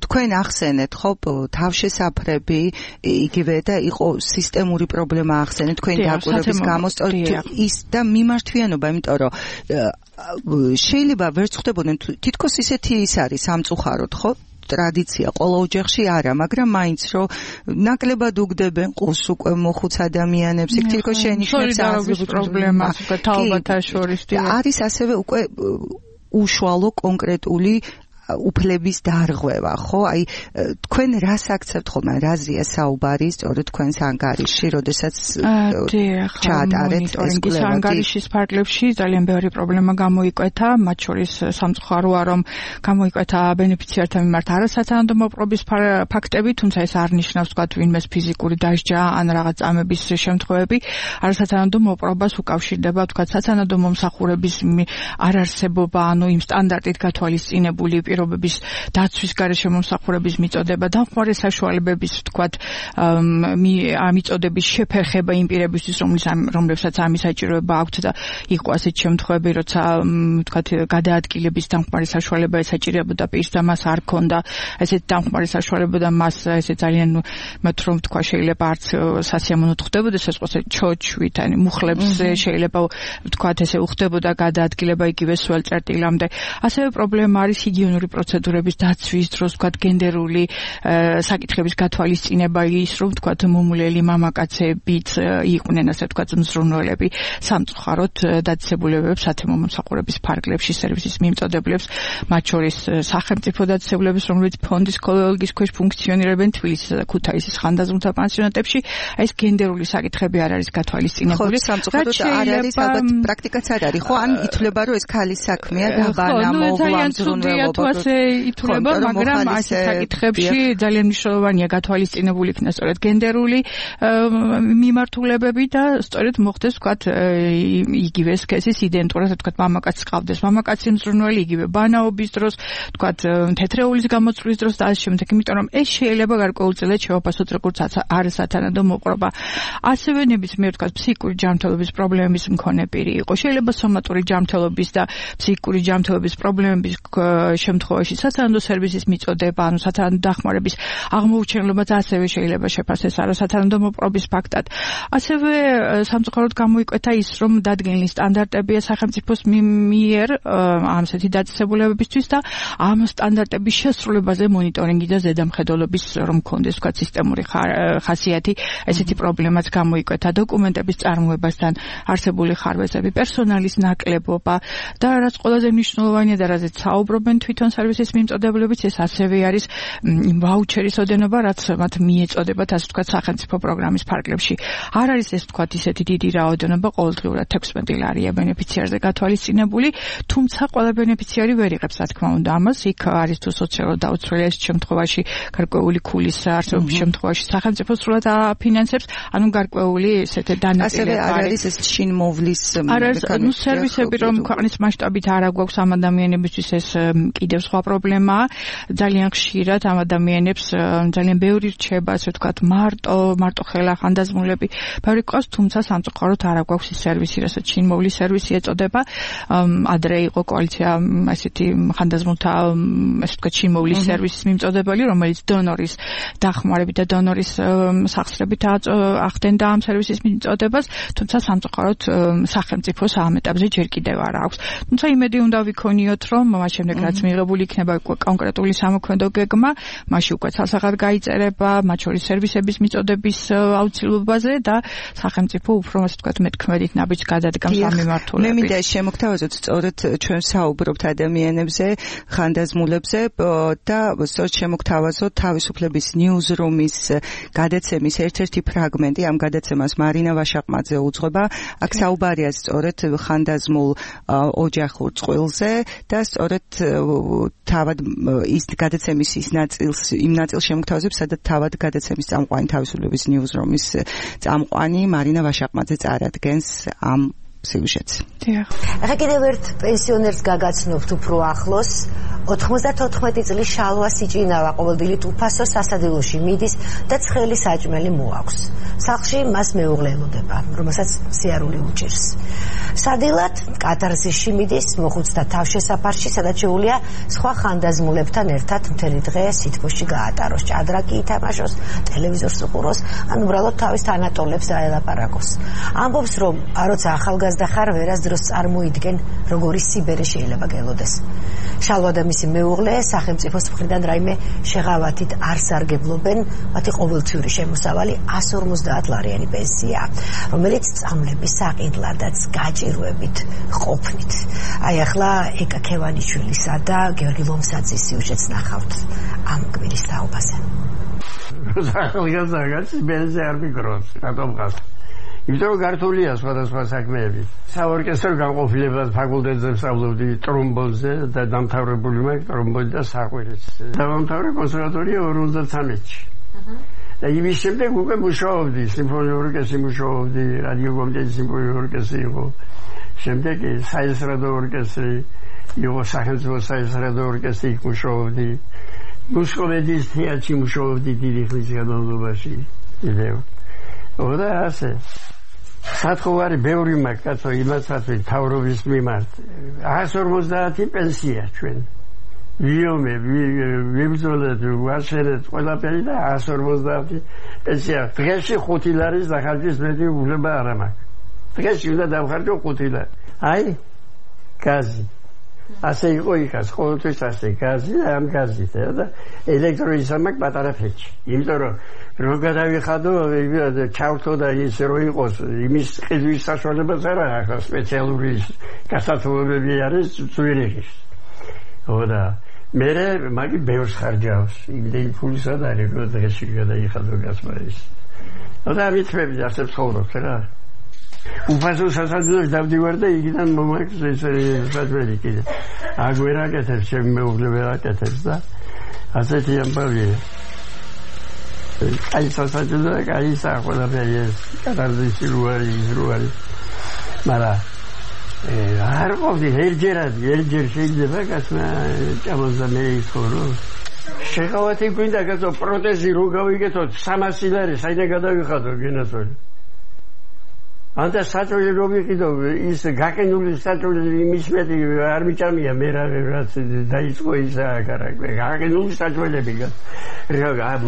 თქვენ ახსენეთ ხო თავშესაფრები იგივე და იყო სისტემური პრობლემა ახსენეთ თქვენი დაკვირვების გამო ის და მიმართვიანობა, იმიტომ რომ შეიძლება ვერც ხვდებოდნენ თითქოს ისეთი ის არის სამწუხაროდ ხო ტრადიცია ყოველ ოჯახში არა, მაგრამ მაინც რომ ნაკლებად უგდებენ ყურს უკვე მოხუც ადამიანებს, იქ თითქოს შენიშნებს სოლიდარობის პრობლემას, თაობათა შორის არის ასევე უკვე უშუალო კონკრეტული უფლების დარღვევა, ხო? აი თქვენ რას აქცევთ ხოლმე, რაზეა საუბარი სწორედ თქვენს ანგარიში, როდესაც ჩაატარეთ ეს კვლევა? ანგარიშის ფარგლებში ძალიან ბევრი პრობლემა გამოიკვეთა, მათ შორის სამწუხაროა, რომ გამოიკვეთა ბენეფიციართა მიმართ არასათანადო მოპყრობის ფაქტები, თუმცა ეს არ ნიშნავს, თქვათ, ვინმეს ფიზიკური დასჯა ან რაღაც წამების შემთხვევები, არასათანადო მოპყრობას უკავშირდება, თქვათ, სათანადო მომსახურების არარსებობა, ანუ იმ სტანდარტით გათვალისწინებული პირობების დაცვის გარეშე მომსახურების მიწოდება, დამხმარე საშუალებების, ვთქვათ, მიწოდების შეფერხება იმ პირებისთვის, რომლებსაც ამის საჭიროება აქვთ და იყო ასეთ შემთხვევები, როცა, ვთქვათ, გადაადგილების დამხმარე საშუალება ესაჭირებოდა პირს და მას არ ქონდა ესეთ დამხმარე საშუალება და მას ესე ძალიან მეტ რომ ვთქვა, შეიძლება არც სასიამოვნოდ ხდებოდეს ეს ყოს ჩოჩვით, ან მუხლებს შეიძლება ვთქვათ, ესე უხდებოდა გადაადგილება იგივე სულ წერტილამდე. ასევე პრობლემა არის ჰიგიენური ადმინისტრაციული პროცედურების დაცვის დროს, თქვათ, გენდერული საკითხების გათვალისწინება ის, რომ თქვათ, მომულელი მამაკაცებიც იყვნენ, ასე თქვათ, მზრუნველები სამწუხაროდ დაწესებულებებს სათემო მომსახურების ფარგლებში სერვისის მიმწოდებლებს, მათ შორის სახელმწიფო დაწესებულებას, რომელიც ფონდის კოლეგიის ქვეშ ფუნქციონირებენ თბილისისა და ქუთაისის ხანდაზმულთა პანსიონატებში, ეს გენდერული საკითხები არ არის გათვალისწინებული. სამწუხაროდ არ არის, ალბათ პრაქტიკაც არ არის, ხო? ან ითვლება, რომ ეს ქალის საქმეა და ბანა მოვლა მზრუნველობა. ითვლება, მაგრამ ასეთ საკითხებში ძალიან მნიშვნელოვანია გათვალისწინებული იქნას სწორედ გენდერული მიმართულებები და სწორედ მოხდეს, ვთქვათ, იგივე სქესის იდენტურად, ვთქვათ, მამაკაცს ყავდეს მამაკაცი მზრუნველი, იგივე ბანაობის დროს, ვთქვათ, თეთრეულის გამოცვლის დროს და ასე შემდეგ, იმიტომ რომ ეს შეიძლება გარკვეულწილად შევაფასოთ როგორც არასათანადო მოყრობა. ასევე ნებისმიერ, ვთქვათ, ფსიქიკური ჯანმრთელობის პრობლემების მქონე პირი იყო. შეიძლება სომატური ჯანმრთელობის და ფსიქიკური ჯანმრთელობის პრობლემების შემთხვევაში სათანადო სერვისის მიწოდება, ანუ სათანადო დახმარების აღმოუჩენლობაც ასევე შეიძლება შეფასდეს არასათანადო მოპყრობის ფაქტად. ასევე სამწუხაროდ გამოიკვეთა ის, რომ დადგენილი სტანდარტებია სახელმწიფოს მიერ ამსეთი დაწესებულებებისთვის და ამ სტანდარტების შესრულებაზე მონიტორინგი და ზედამხედველობის რომ მქონდეს, ვთქვათ, სისტემური ხასიათი, ესეთი პრობლემაც გამოიკვეთა დოკუმენტების წარმოებასთან არსებული ხარვეზები, პერსონალის ნაკლებობა და რაც ყველაზე მნიშვნელოვანია და რაზეც საუბრობენ თვითონ სერვისის მიმწოდებლებიც, ეს ასევე არის ვაუჩერის ოდენობა, რაც მათ მიეწოდებათ, ასე ვთქვათ, სახელმწიფო პროგრამის ფარგლებში. არ არის ეს, ვთქვათ, ისეთი დიდი რაოდენობა, ყოველდღიურად 16 ლარია ბენეფიციარზე გათვალისწინებული, თუმცა ყველა ბენეფიციარი ვერ იღებს, რა თქმა უნდა, ამას. იქ არის თუ სოციალურად დაუცველი ეს შემთხვევაში, გარკვეული ქულის არსებობის შემთხვევაში სახელმწიფო სრულად აფინანსებს, ანუ გარკვეული ესეთი დანაწილება. ასევე არ არის ეს შინმოვლის სერვისები, რომ ქვეყნის მასშტაბით არ აგვაქვს ამ ადამიანებისთვის, ეს კიდევ სხვა პრობლემაა. ძალიან ხშირად ამ ადამიანებს ძალიან ბევრი რჩება, ასე ვთქვათ, მარტო ხელა ხანდაზმულები ბევრი ყავს, თუმცა სამწუხაროდ არ აგვაქვს ის სერვისი, რასაც შინმოვლის სერვისი ეწოდება. ადრე იყო კოალიცია ესეთი ხანდაზმულთა, ასე ვთქვათ, შინმოვლის სერვისის მიმწოდებელი, რომელიც დონორის დახმარებით და დონორის სახსრებით ახდენდა ამ სერვისის მიმწოდებას, თუმცა სამწუხაროდ სახელმწიფოს ამ ეტაპზე ჯერ კიდევ არ აქვს. თუმცა იმედი უნდა ვიქონიოთ, რომ მას შემდეგ რაც მიღებული იქნება კონკრეტული სამოქმედო გეგმა, მაშინ უკვე სასახად გაიწერება, მათ შორის სერვისების მიწოდების აუცილებლობაზე და სახელმწიფო უფრო, ასე ვთქვათ, მეტქმედით ნაბიჯს გადადგამს ამ მიმართულებით. მე მინდა შემოგთავაზოთ სწორედ ჩვენ საუბრობთ ადამიანებზე, ხანდაზმულებზე და სწორედ შემოგთავაზოთ თავისუფლების ნიუზრუმის გადაცემის ერთ-ერთი ფრაგმენტი. ამ გადაცემას მარინა ვაშაყმაძე უძღვება. აქ საუბარია სწორედ ხანდაზმულ ოჯახურ წყვილზე და სწორედ თავად ის გადაცემის იმ ნაწილს შემოგთავაზებს, სადაც თავად გადაცემის წამყვანი თავისუფლების ნიუზრუმის წამყვანი მარინა ვაშაყმაძე წარადგენს ამ სიუჟეტს. ახლა კიდევ ერთ პენსიონერს გაგაცნობთ უფრო ახლოს. 94 წლის შალვა სიჭინავა ყოველდღიურად უფასო სასადილოში მიდის და ცხელი საჭმელი მოაქვს. სახლში მას მეუღლე ელოდება, რომელსაც სიარული უჭირს. სადილად კატარზისში მიდის მოხუცთა თავშესაფარში, სადაც შეუძლია სხვა ხანდაზმულებთან ერთად მთელი დღე სითბოში გაატაროს, ჭადრაკი ითამაშოს, ტელევიზორს უყუროს, ან უბრალოდ თავის თანატოლებს დაელაპარაკოს. ამბობს, რომ როცა ახალგაზრდა ხარ, ვერასდროს წარმოიდგენ, როგორი სიბერე შეიძლება გელოდეს. შალვა და მისი მეუღლე სახელმწიფოს მხრიდან რაიმე შეღავათით არ სარგებლობენ, მათი ყოველწლიური შემოსავალი 150 ლარიანი პენსია, რომელიც წამლების საყიდლადაც გაჭირვებით ყოფნით. აი ახლა ეკა ქევანიშვილისა და გიორგი ლომსაძის სიუჟეტს ნახავთ ამ კვირის თაობაზე. ახალგაზრდა სიბერეზე არ მიგროვს, რატომ გას? იმიტომ რომ გართულია სხვადასხვა საქმეები. საორკესტრო განყოფილებად ფაკულტეტზე ვსწავლობდი ტრომბონზე და დამთავრებული მაქვს ტრომბონი და საყვირიც. დავამთავრე კონსერვატორია 53-ში. და იმის შემდეგ უკვე მუშაობდი, სიმფონიურ ორკესტრში მუშაობდი, რადიო კომიტეტის სიმფონიურ ორკესტრი იყო. შემდეგ საესტრადო ორკესტრი იყო, სახელმწიფო საესტრადო ორკესტრი მუშაობდი. მუსკოვედის თეატრში მუშაობდი დიდი ხნის განმავლობაში. კიდევ. და ასე. სათხოვარი ბევრი მაქვს, კაცო, იმასაც თავრობის მიმართ. 150 პენსია ჩვენ. ვიომე, ვიბრძოლეთ, ვაშერეთ ყველაფერი და 150 პენსია. დღეში 5 ლარის დახარჯვის მეტი უფლება არ მაქვს. დღეში უნდა დავხარჯო 5 ლარი. აი, გაზი. ასე იყო იქაც ყოველთვის ასე გაზი და ამ გაზით და ელექტროიზამაკ პატარა ფეჩი იმიტომ რომ გადავიხადო ჩავთო და ის რო იყოს იმის ყიდვის საშუალებაც არ აქვს სპეციალური გასათვალებები არის ზვირიღის და მე მაგი ბევრს ხარჯავს იმდენი ფულის არ არის რომ დღეში გადაიხადო გასმა ის და ამიტვები ასე ცხოვრობ რა უფასო სასაძველს დავდივარ და იქიდან მომაქვს ეს საძველი კიდე აგვერა კეთებს ჩემი მეუღლე ვერაკეთებს და ასეთი ამბავია აი სასაძველი აი საყოლაფერი ეს კატარზისი რო არის მაგრამ არ ყოფილი ერჯერ შეიძლება კაცმა ჭამოს და მე იხორო შეხავათი გვინდა კაცო პროტეზი რო გავიგეთოთ 300 ლარი საიდან გადავიხადო გენაცოლი ანდა საჭოელი რო ვიყიდო ის გაკენული საჭოელი იმის მეტი არ მიჭამია მე რაც დაიწყო ის აკარაკე გაკენული საჭოელები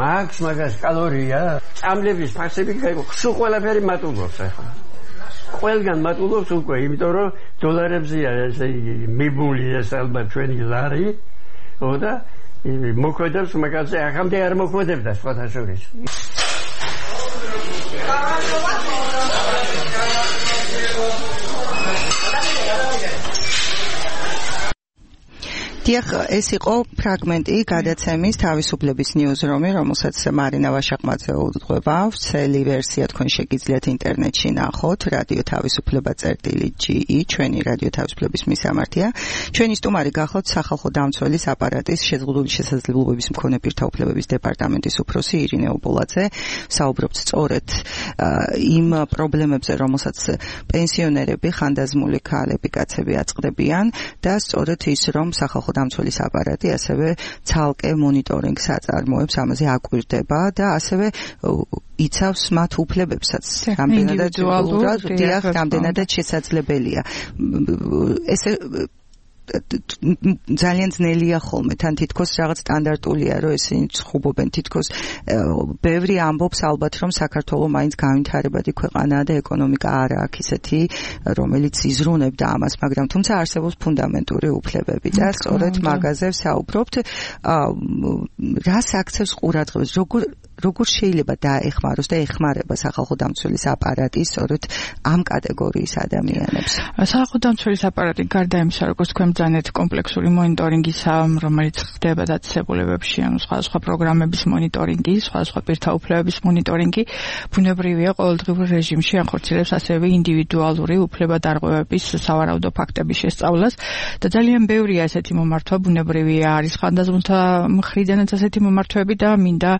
მაგას კალორია წამლების ფასები სულ ყველაფერი მატულობს ახლა ყველგან მატულობს უკვე იმიტომ რომ დოლარებზეა ესე იგი მიბული ეს ალბათ ჩვენი ლარი და მოქმედებს მაგაზე ახამდე არ მოქმედებდა სხვათა შორის დიახ, ეს იყო ფრაგმენტი გადაცემის თავისუფლების ნიუზრომი, რომელსაც მარინა ვაშაყმაძე უძღვება. ვრცელი ვერსია თქვენ შეგიძლიათ ინტერნეტში ნახოთ. რადიო თავისუფლება.ge ჩვენი რადიო თავისუფლების მისამართია. ჩვენი სტუმარი გახლავთ სახალხო დამცველის აპარატის შეზღუდული შესაძლებლობების მქონე პირთა უფლებების დეპარტამენტის უფროსი ირინე უბოლაძე. საუბრობთ სწორედ იმ პრობლემებზე, რომელსაც პენსიონერები, ხანდაზმული ქალები, კაცები აწყდებიან და სწორედ ის, რომ სახალხო დამცველის აპარატი ასევე ცალკე მონიტორინგს აწარმოებს, ამაზე აკვირდება და ასევე იცავს მათ უფლებებსაც. რამდენადაც შესაძლებელია. ესე ძალიან ძნელია ხოლმე, თან თითქოს რაღაც სტანდარტულია, რომ ესენი ცხუბობენ, თითქოს ბევრი ამბობს ალბათ, რომ საქართველოს მაინც განვითარებადი ქვეყანაა და ეკონომიკა არ აქვს ისეთი, რომელიც იზრუნებდა ამას, მაგრამ თუმცა არსებობს ფუნდამენტური უფლებები და სწორედ მაგაზე ვსაუბრობთ. რას აქცევს ყურადღებას, როგორ შეიძლება დაეხმაროს და ეხმარება სახალხო დამცველის აპარატი სწორედ ამ კატეგორიის ადამიანებს? სახალხო დამცველის აპარატი გარდა იმისა, როგორც თქვენ ბრძანეთ კომპლექსური მონიტორინგისა, რომელიც ხდება დაწესებულებებში, სხვადასხვა პროგრამების მონიტორინგი, სხვადასხვა პირთა უფლებების მონიტორინგი, ბუნებრივია ყოველდღიურ რეჟიმში ახორციელებს ასევე ინდივიდუალური უფლებადარღვევების სავარაუდო ფაქტების შესწავლას და ძალიან ბევრია ესეთი მომართვა, ბუნებრივია არის ხანდაზმულთა მხრიდანაც ესეთი მომართვები და მინდა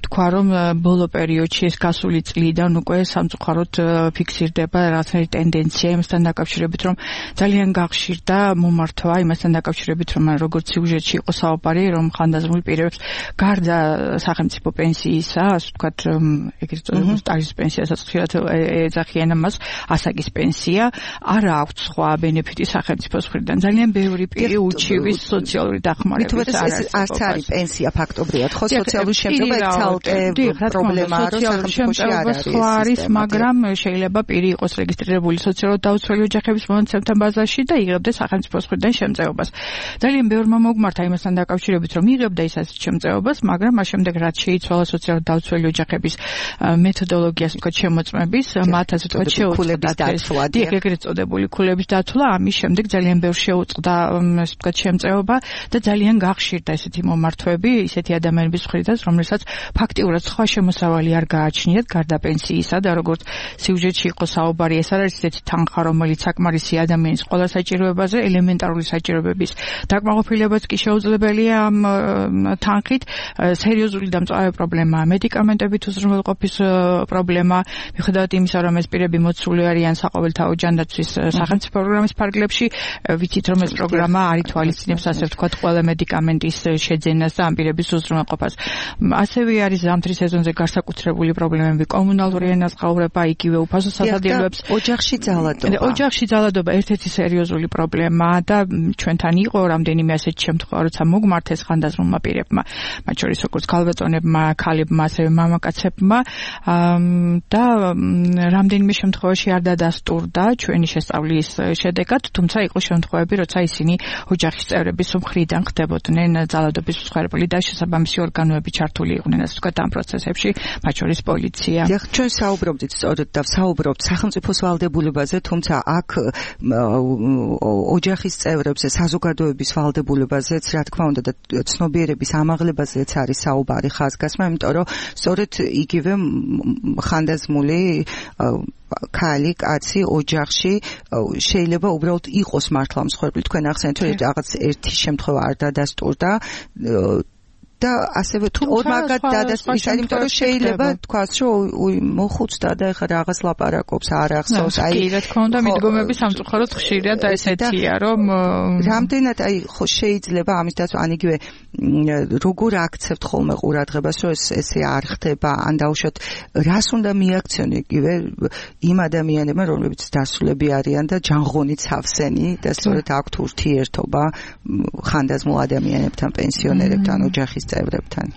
თქვა რომ ბოლო პერიოდში ეს გასული წლიდან უკვე სამწუხაროდ ფიქსირდება რაღაცნაირი ტენდენცია იმასთან დაკავშირებით, რომ ძალიან გახშირდა მომართვა იმასთან დაკავშირებით, რომ როგორც სიუჟეტში იყო საუბარი, რომ ხანდაზმულ პირებს გარდა სახელმწიფო პენსიისა, ასე ვთქვათ, ეგრეთ წოდებული სტაჟის პენსიასაც ხშირად ეძახიან ამას, ასაკის პენსია, არ აქვს სხვა ბენეფიტი სახელმწიფოს მხრიდან. ძალიან ბევრი პირი უჩივის სოციალური დახმარების არც არის პენსია ფაქტობრივად, ხო სოციალური შემწეობა პრობლემაა, რომ სახელმწიფოში არ არის, მაგრამ შეიძლება პირი იყოს რეგისტრირებული სოციალურად დაუცველი ოჯახების მონაცემთა ბაზაში და იღებდეს სახელმწიფოს მხრიდან შემწეობას. ძალიან ბევრმა მოგმართა იმასთან დაკავშირებით, რომ იღებდა ის ასეთ შემწეობას, მაგრამ მას შემდეგ რაც შეიცვალა სოციალურად დაუცველი ოჯახების მეთოდოლოგიას, თქვა შემოწმების, მათ ასე თქვა შეუწყდა დაცვა, ეგრეთ წოდებული ქულების დაცვა, ამის შემდეგ ძალიან ბევრ შეუწყდა ასე თქვა შემწეობა და ძალიან გახშირდა ესეთი მომართვები, ისეთი ადამიანების მხრიდან, რომელსაც ფაქტიურად სხვა შემოსავალი არ გააჩნიათ გარდა პენსიისა და როგორც სიუჟეტში იყო საუბარი, ეს არ არის ისეთი თანხა, რომელიც საკმარისი ადამიანის ყველა საჭიროებაზე, ელემენტარული საჭიროებების დაკმაყოფილებაც კი შეუძლებელია ამ თანხით. სერიოზული დამწვავი პრობლემაა მედიკამენტებით უზრუნველყოფის პრობლემა, მიუხედავად იმისა, რომ ეს პირები მოცული არიან საყოველთაო ჯანდაცვის სახელმწიფო პროგრამის ფარგლებში, ვიცით რომ ეს პროგრამა არ ითვალისწინებს ასე ვთქვათ ყველა მედიკამენტის შეძენას და ამ პირების უზრუნველყოფას. ასევე არის ზამთრის სეზონზე განსაკუთრებული პრობლემები, კომუნალური ენაზღაურება, იგივე უფასო სასადილოებს, ოჯახში ძალადობა ერთ-ერთი სერიოზული პრობლემაა და ჩვენთან იყო რამდენიმე ასეთი შემთხვევა, როცა მოგმართეს ხანდაზმულმა პირებმა, მათ შორის როგორც ქალბატონებმა, ქალებმა, ასევე მამაკაცებმა და რამდენიმე შემთხვევაში არ დადასტურდა ჩვენი შესწავლის შედეგად, თუმცა იყო შემთხვევები, როცა ისინი ოჯახის წევრების მხრიდან ხდებოდნენ ძალადობის მსხვერპლი და შესაბამისი ორგანოები ჩართული იყვნენ, ასე ვთქვათ, ამ პროცესებში, მათ შორის პოლიცია. დიახ, ჩვენ საუბრობდით სწორედ და საუბრობთ სახელმწიფოს ვალდებულებაზე, თუმცა აქ ოჯახის წევრებზე, საზოგადოების ვალდებულებაზეც, რა თქმა უნდა, და ცნობიერების ამაღლებაზეც არის საუბარი ხაზგასმა, იმიტომ რომ სწორედ იგივე ხანდაზმული ქალი, კაცი ოჯახში შეიძლება უბრალოდ იყოს მართლა მსხვერპლი. თქვენ ახსენეთ, რომ რაღაც ერთი შემთხვევა არ დადასტურდა და ასევე ორმაგად დადასტურდა, იმიტომ რომ შეიძლება თქვას, რომ მოხუცდა და ეხლა რაღაც ლაპარაკობს, არ ახსოვს, კი, რა თქმა უნდა, მიდგომები სამწუხაროდ ხშირია და ესეთია, რომ რამდენად ხო შეიძლება ამის დაცვა, ან იგივე როგორ აქცევთ ხოლმე ყურადღებას, რომ ესე არ ხდება, ან დაუშვათ რას უნდა მიაქციონო იგივე იმ ადამიანებმა, რომლებიც დასულები არიან და ჯანღონით სავსენი და სწორედ აქვთ ურთიერთობა ხანდაზმულ ადამიანებთან, პენსიონერებთან, ოჯახის წევრებთან.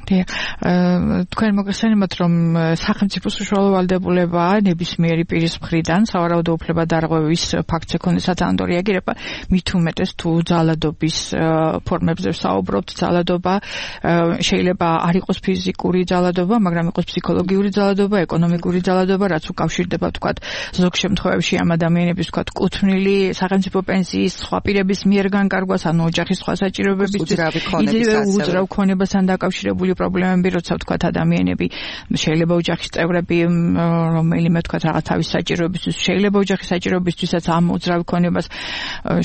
თქვენ მოგესალმებით, რომ სახელმწიფოს უშუალო ვალდებულებაა ნებისმიერი პირის მხრიდან სავარაუდო უფლებადარღვევის ფაქტს ეკონდეს სათანადო რეაგირება, მით უმეტეს თუ ძალადობის ფორმებზე ვსაუბრობთ, ძალადობა შეიძლება არ იყოს ფიზიკური ძალადობა, მაგრამ იყოს ფსიქოლოგიური ძალადობა, ეკონომიკური ძალადობა, რაც უკავშირდება, ვთქვათ, ზოგ შემთხვევებში ამ ადამიანების, ვთქვათ, კუთვნილი სახელმწიფო პენსიის სხვა პირების მიერ განკარგვას, ანუ ოჯახის სხვა საჭიროებებისთვის, იგივე უძრავ ქონებასთან დაკავშირებული პრობლემები, როცა ვთქვათ ადამიანები შეიძლება ოჯახის წევრები, რომელიმე ვთქვათ რაღაც თავის საჭიროებისთვის, შეიძლება ოჯახის საჭიროებისთვისაც ამ უძრავ ქონებას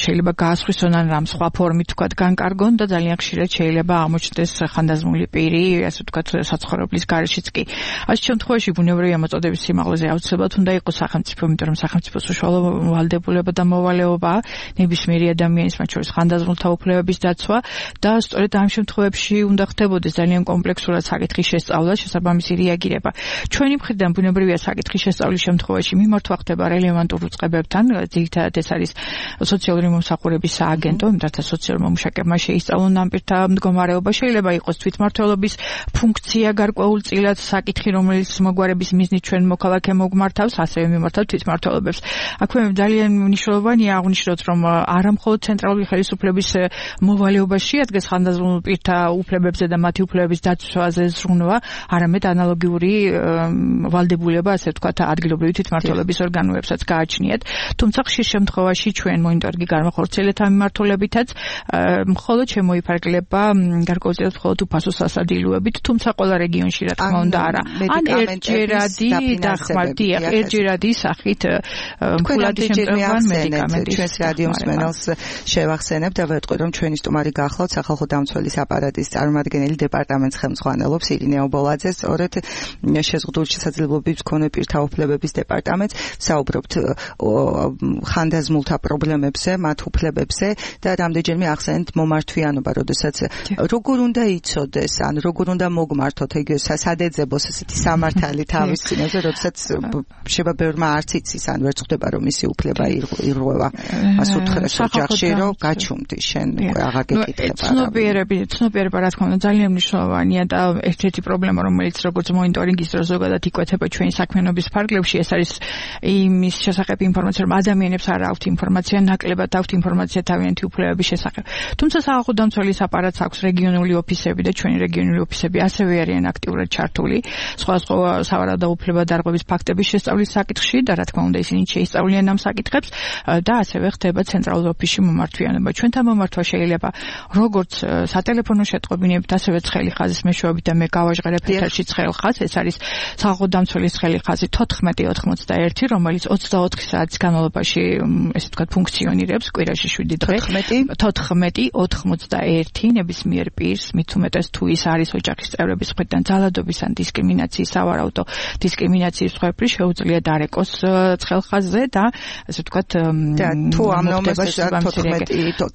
შეიძლება გაასხვისონ ან რამ სხვა ფორმით ვთქვათ განკარგონ და ძალიან ხშირად შეიძლება აღმოჩნდეს ხანდაზმული პირი, ასე ვთქვათ, საცხოვრებლის გარეშეც კი. ასეთ შემთხვევაში ბუნებრივი ამოწოდების სიმაღლეზე აუცილებლად უნდა იყოს სახელმწიფო, იმიტომ რომ სახელმწიფოს უშუალო ვალდებულება და მოვალეობაა ნებისმიერი ადამიანის, მათ შორის ხანდაზმულთა უფლებების დაცვა და სწორედ ამ შემთხვევებში უნდა ხდებოდეს ძალიან კომპლექსურად საკითხის შესწავლა, შესაბამისი რეაგირება. ჩვენი მხრიდან ბუნებრივია საკითხის შესწავლის შემთხვევაში მიმართვა ხდება რელევანტურ უწყებებთან, ძირითადად ეს არის სოციალური მომსახურების სააგენტო, რათა სოციალურ მომუშაკებმა შეისწავლონ ამ პირთა მდგომარეობა. შეიძლება იყოს თვითმმართველობის ფუნქცია გარკვეულწილად საკითხი, რომელიც მოგვარების მიზნით ჩვენ მოქალაქე მოგმართავს, ასევე მიმართავთ თვითმმართველობებს. აქვე ძალიან მნიშვნელოვანია აღვნიშნოთ, რომ არა მხოლოდ ცენტრალური ხელისუფლების მოვალეობა შეადგენს ხანდაზმულ პირთა უფლებებზე და მათი უფლებების დაცვაზე ზრუნვა, არამედ ანალოგიური ვალდებულება, ასე ვთქვათ, ადგილობრივი თვითმმართველობის ორგანოებსაც გააჩნიათ. თუმცა ხშირ შემთხვევაში ჩვენ მონიტორინგი გამახორციელეთ ამ მიმართულებითაც, მხოლოდ შემოიფარგლება გარკვეულწილად მხოლოდ უფასო სასადილოებით, თუმცა ყველა რეგიონში რა თქმა უნდა არა. ან ერთჯერადი დახმარდი, ერთჯერადი სახით ფულადი შემწევან მედიკამენტი. ჩვენს რადიო მსმენელს შევახსენებ და ვეტყვი, რომ ჩვენი სტუმარი გახლავთ სახალხო დამცველის აპარატის წარმომადგენელი დეპარტამენტის ხელმძღვანელობს ირინე ობოლაძე, სწორედ შეზღუდული შესაძლებლობების მქონე პირთა უფლებების დეპარტამენტს. საუბრობთ ხანდაზმულთა პრობლემებზე, მათ უფლებებზე და რამდენჯერმე ახსენეთ მომართვიანობა, როდესაც როგორ უნდა იცოდეს, ან როგორ უნდა მოგმართოთ, ეგ სად-ეძებოს ესეთი სამართალი თავის წინაზე, როდესაც შეიძლება ბევრმა არც იცის, ან ვერც ხვდება, რომ მისი უფლება ირღვევა. ასე უთხრეს ოჯახში, რომ გაჩუმდი შენ აღარ გეკითხება. ცნობიერება რა თქმა უნდა ძალიან მნიშვნელოვანია და ერთ-ერთი პრობლემა, რომელიც როგორც მონიტორინგის დროს ზოგადად იკვეთება ჩვენი საქმიანობის ფარგლებში, ეს არის იმის შესახებ ინფორმაცია, რომ ადამიანებს არ აქვთ ინფორმაცია, ნაკლებად აქვთ ინფორმაცია თავიანთი უფლებების შესახებ. თუმცა სახალხო დამცველის აპარატს აქვს რეგიონული ოფისები და ჩვენი რეგიონული ოფისები ასევე არიან აქტიურად ჩართული სხვადასხვა სავარაუდო უფლებადარღვევის ფაქტების შესწავლის საკითხში და რა თქმა უნდა ისინი შეისწავლიან ამ საკითხებს და ასევე ხდება ცენტრალურ ოფისში მომართვიანება. ჩვენთან მომართვა შეიძლება როგორც სატელეფონო შეტყობინებით, ასევე ცხელი ხაზის მეშვეობით და მე გავაჟღერებ ეთერში ცხელ ხაზს, ეს არის სახალხო დამცველის ცხელი ხაზი 1491, რომელიც 24 საათის განმავლობაში, ესე ვთქვათ, ფუნქციონირებს კვირაში 7 დღე. 1491 ნებისმიერ პირს, მით უმეტეს თუ ის არის ოჯახის წევრების მხრიდან ძალადობის ან დისკრიმინაციის, სავარაუდო დისკრიმინაციის მსხვერპლი, შეუძლია დარეკოს ცხელ ხაზზე და ასე ვთქვათ, თუ ამ ნომერს 1491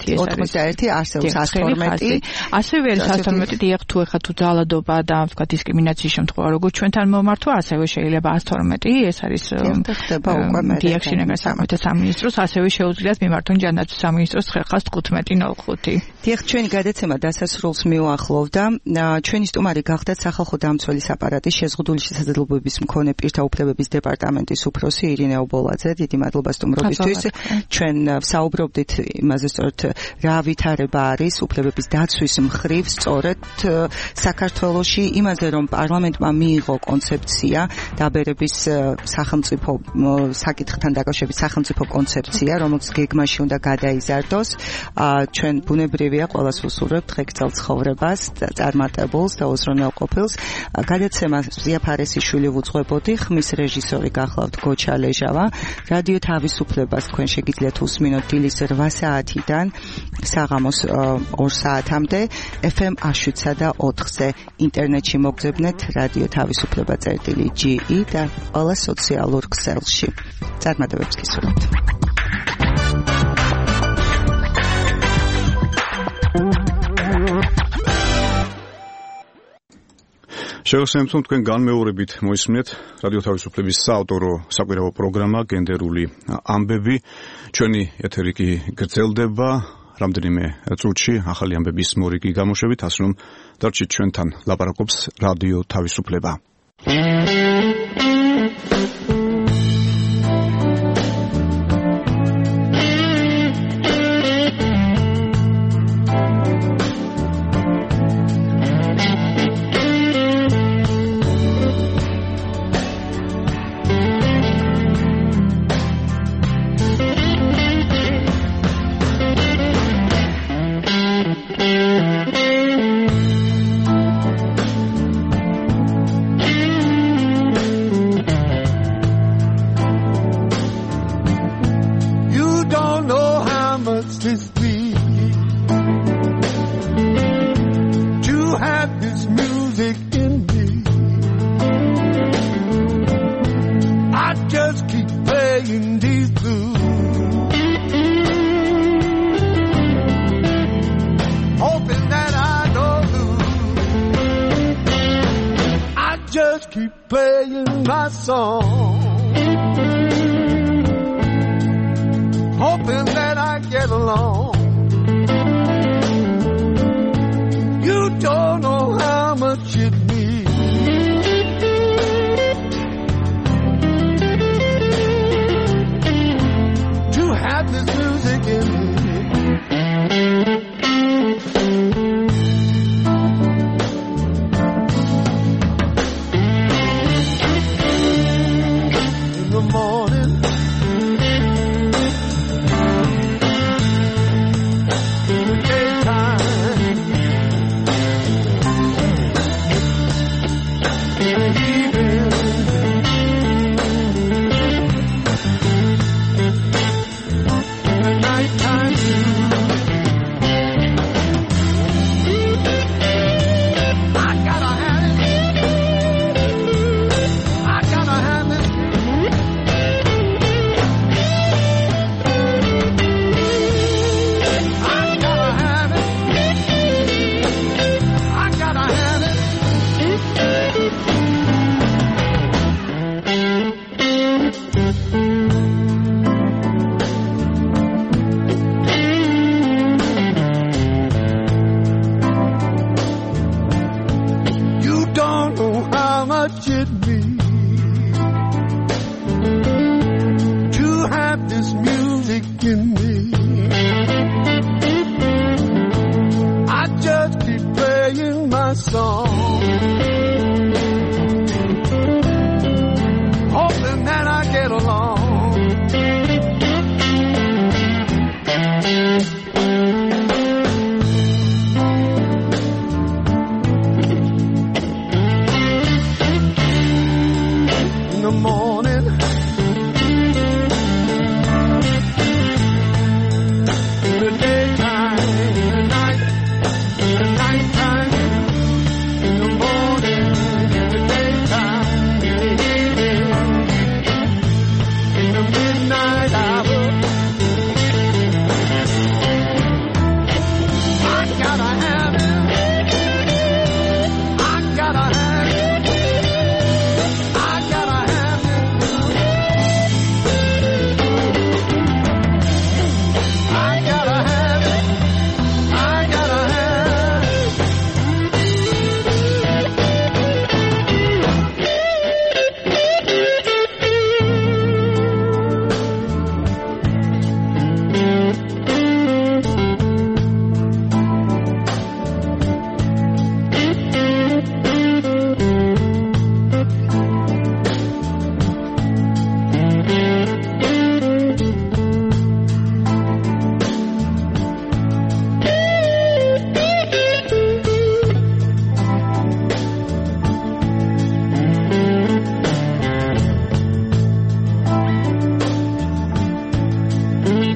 ეს არის 81 არსებობს 14 ასევე არის 112 დიახ თუ ეხა თუ ძალადობა და თქვა დისკრიმინაციის შემთხვევა როგორც ჩვენთან მომართვა ასევე შეიძლება 112 ეს არის დიახ შინაგან საქმეთა სამინისტროს ასევე შეუძლიათ მიმართონ ჯანდაცვის სამინისტროს 915-05 დიახ ჩვენი გადაცემა დასასრულს მიუახლოვდა ჩვენი სტუმარი გახდათ სახალხო დამცველის აპარატის შეზღუდული შესაძლებლობების მქონე პირთა უფლებების დეპარტამენტის უფროსი ირინე ობოლაძე დიდი მადლობა სტუმრობისთვის ჩვენ საუბრობდით იმაზე სწორედ რა ვითარება არის უფლებების დაცვის მხრივ სწორედ საქართველოში იმაზე რომ პარლამენტმა მიიღო კონცეფცია დაბერების სახელმწიფო საკითხთან დაკავშირებით სახელმწიფო კონცეფცია რომელიც გეგმაში უნდა გადაიზარდოს ჩვენ ბუნებრივია ყველას ვუსურვებთ ღეგრძელ ცხოვრებას წარმატებულს და უზრუნელ ყოფილს გადაცემა ზიაფარესიშვილი ვუძღვებოდი ხმის რეჟისორი გახლავთ გოჩა ლეჟავა რადიო თავისუფლებას თქვენ შეგიძლიათ უსმინოთ დილის 8 საათიდან საღამოს 2 საათამდე FM 7.4-ზე ინტერნეტში მოგძებნეთ რადიო თავისუფლება.ge და ყველა სოციალურ ქსელში წარმატებებს გისურვებთ შევასრულებთ თქვენ განმეორებით მოისმინეთ რადიო თავისუფლების საავტორო საკვირაო პროგრამა გენდერული ამბები ჩვენი ეთერი კი გრძელდება რამდენიმე წუთში ახალი ამბების მორიგი გამოშვებით ასე რომ დარჩით ჩვენთან ლაპარაკობს რადიო თავისუფლება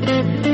Thank you.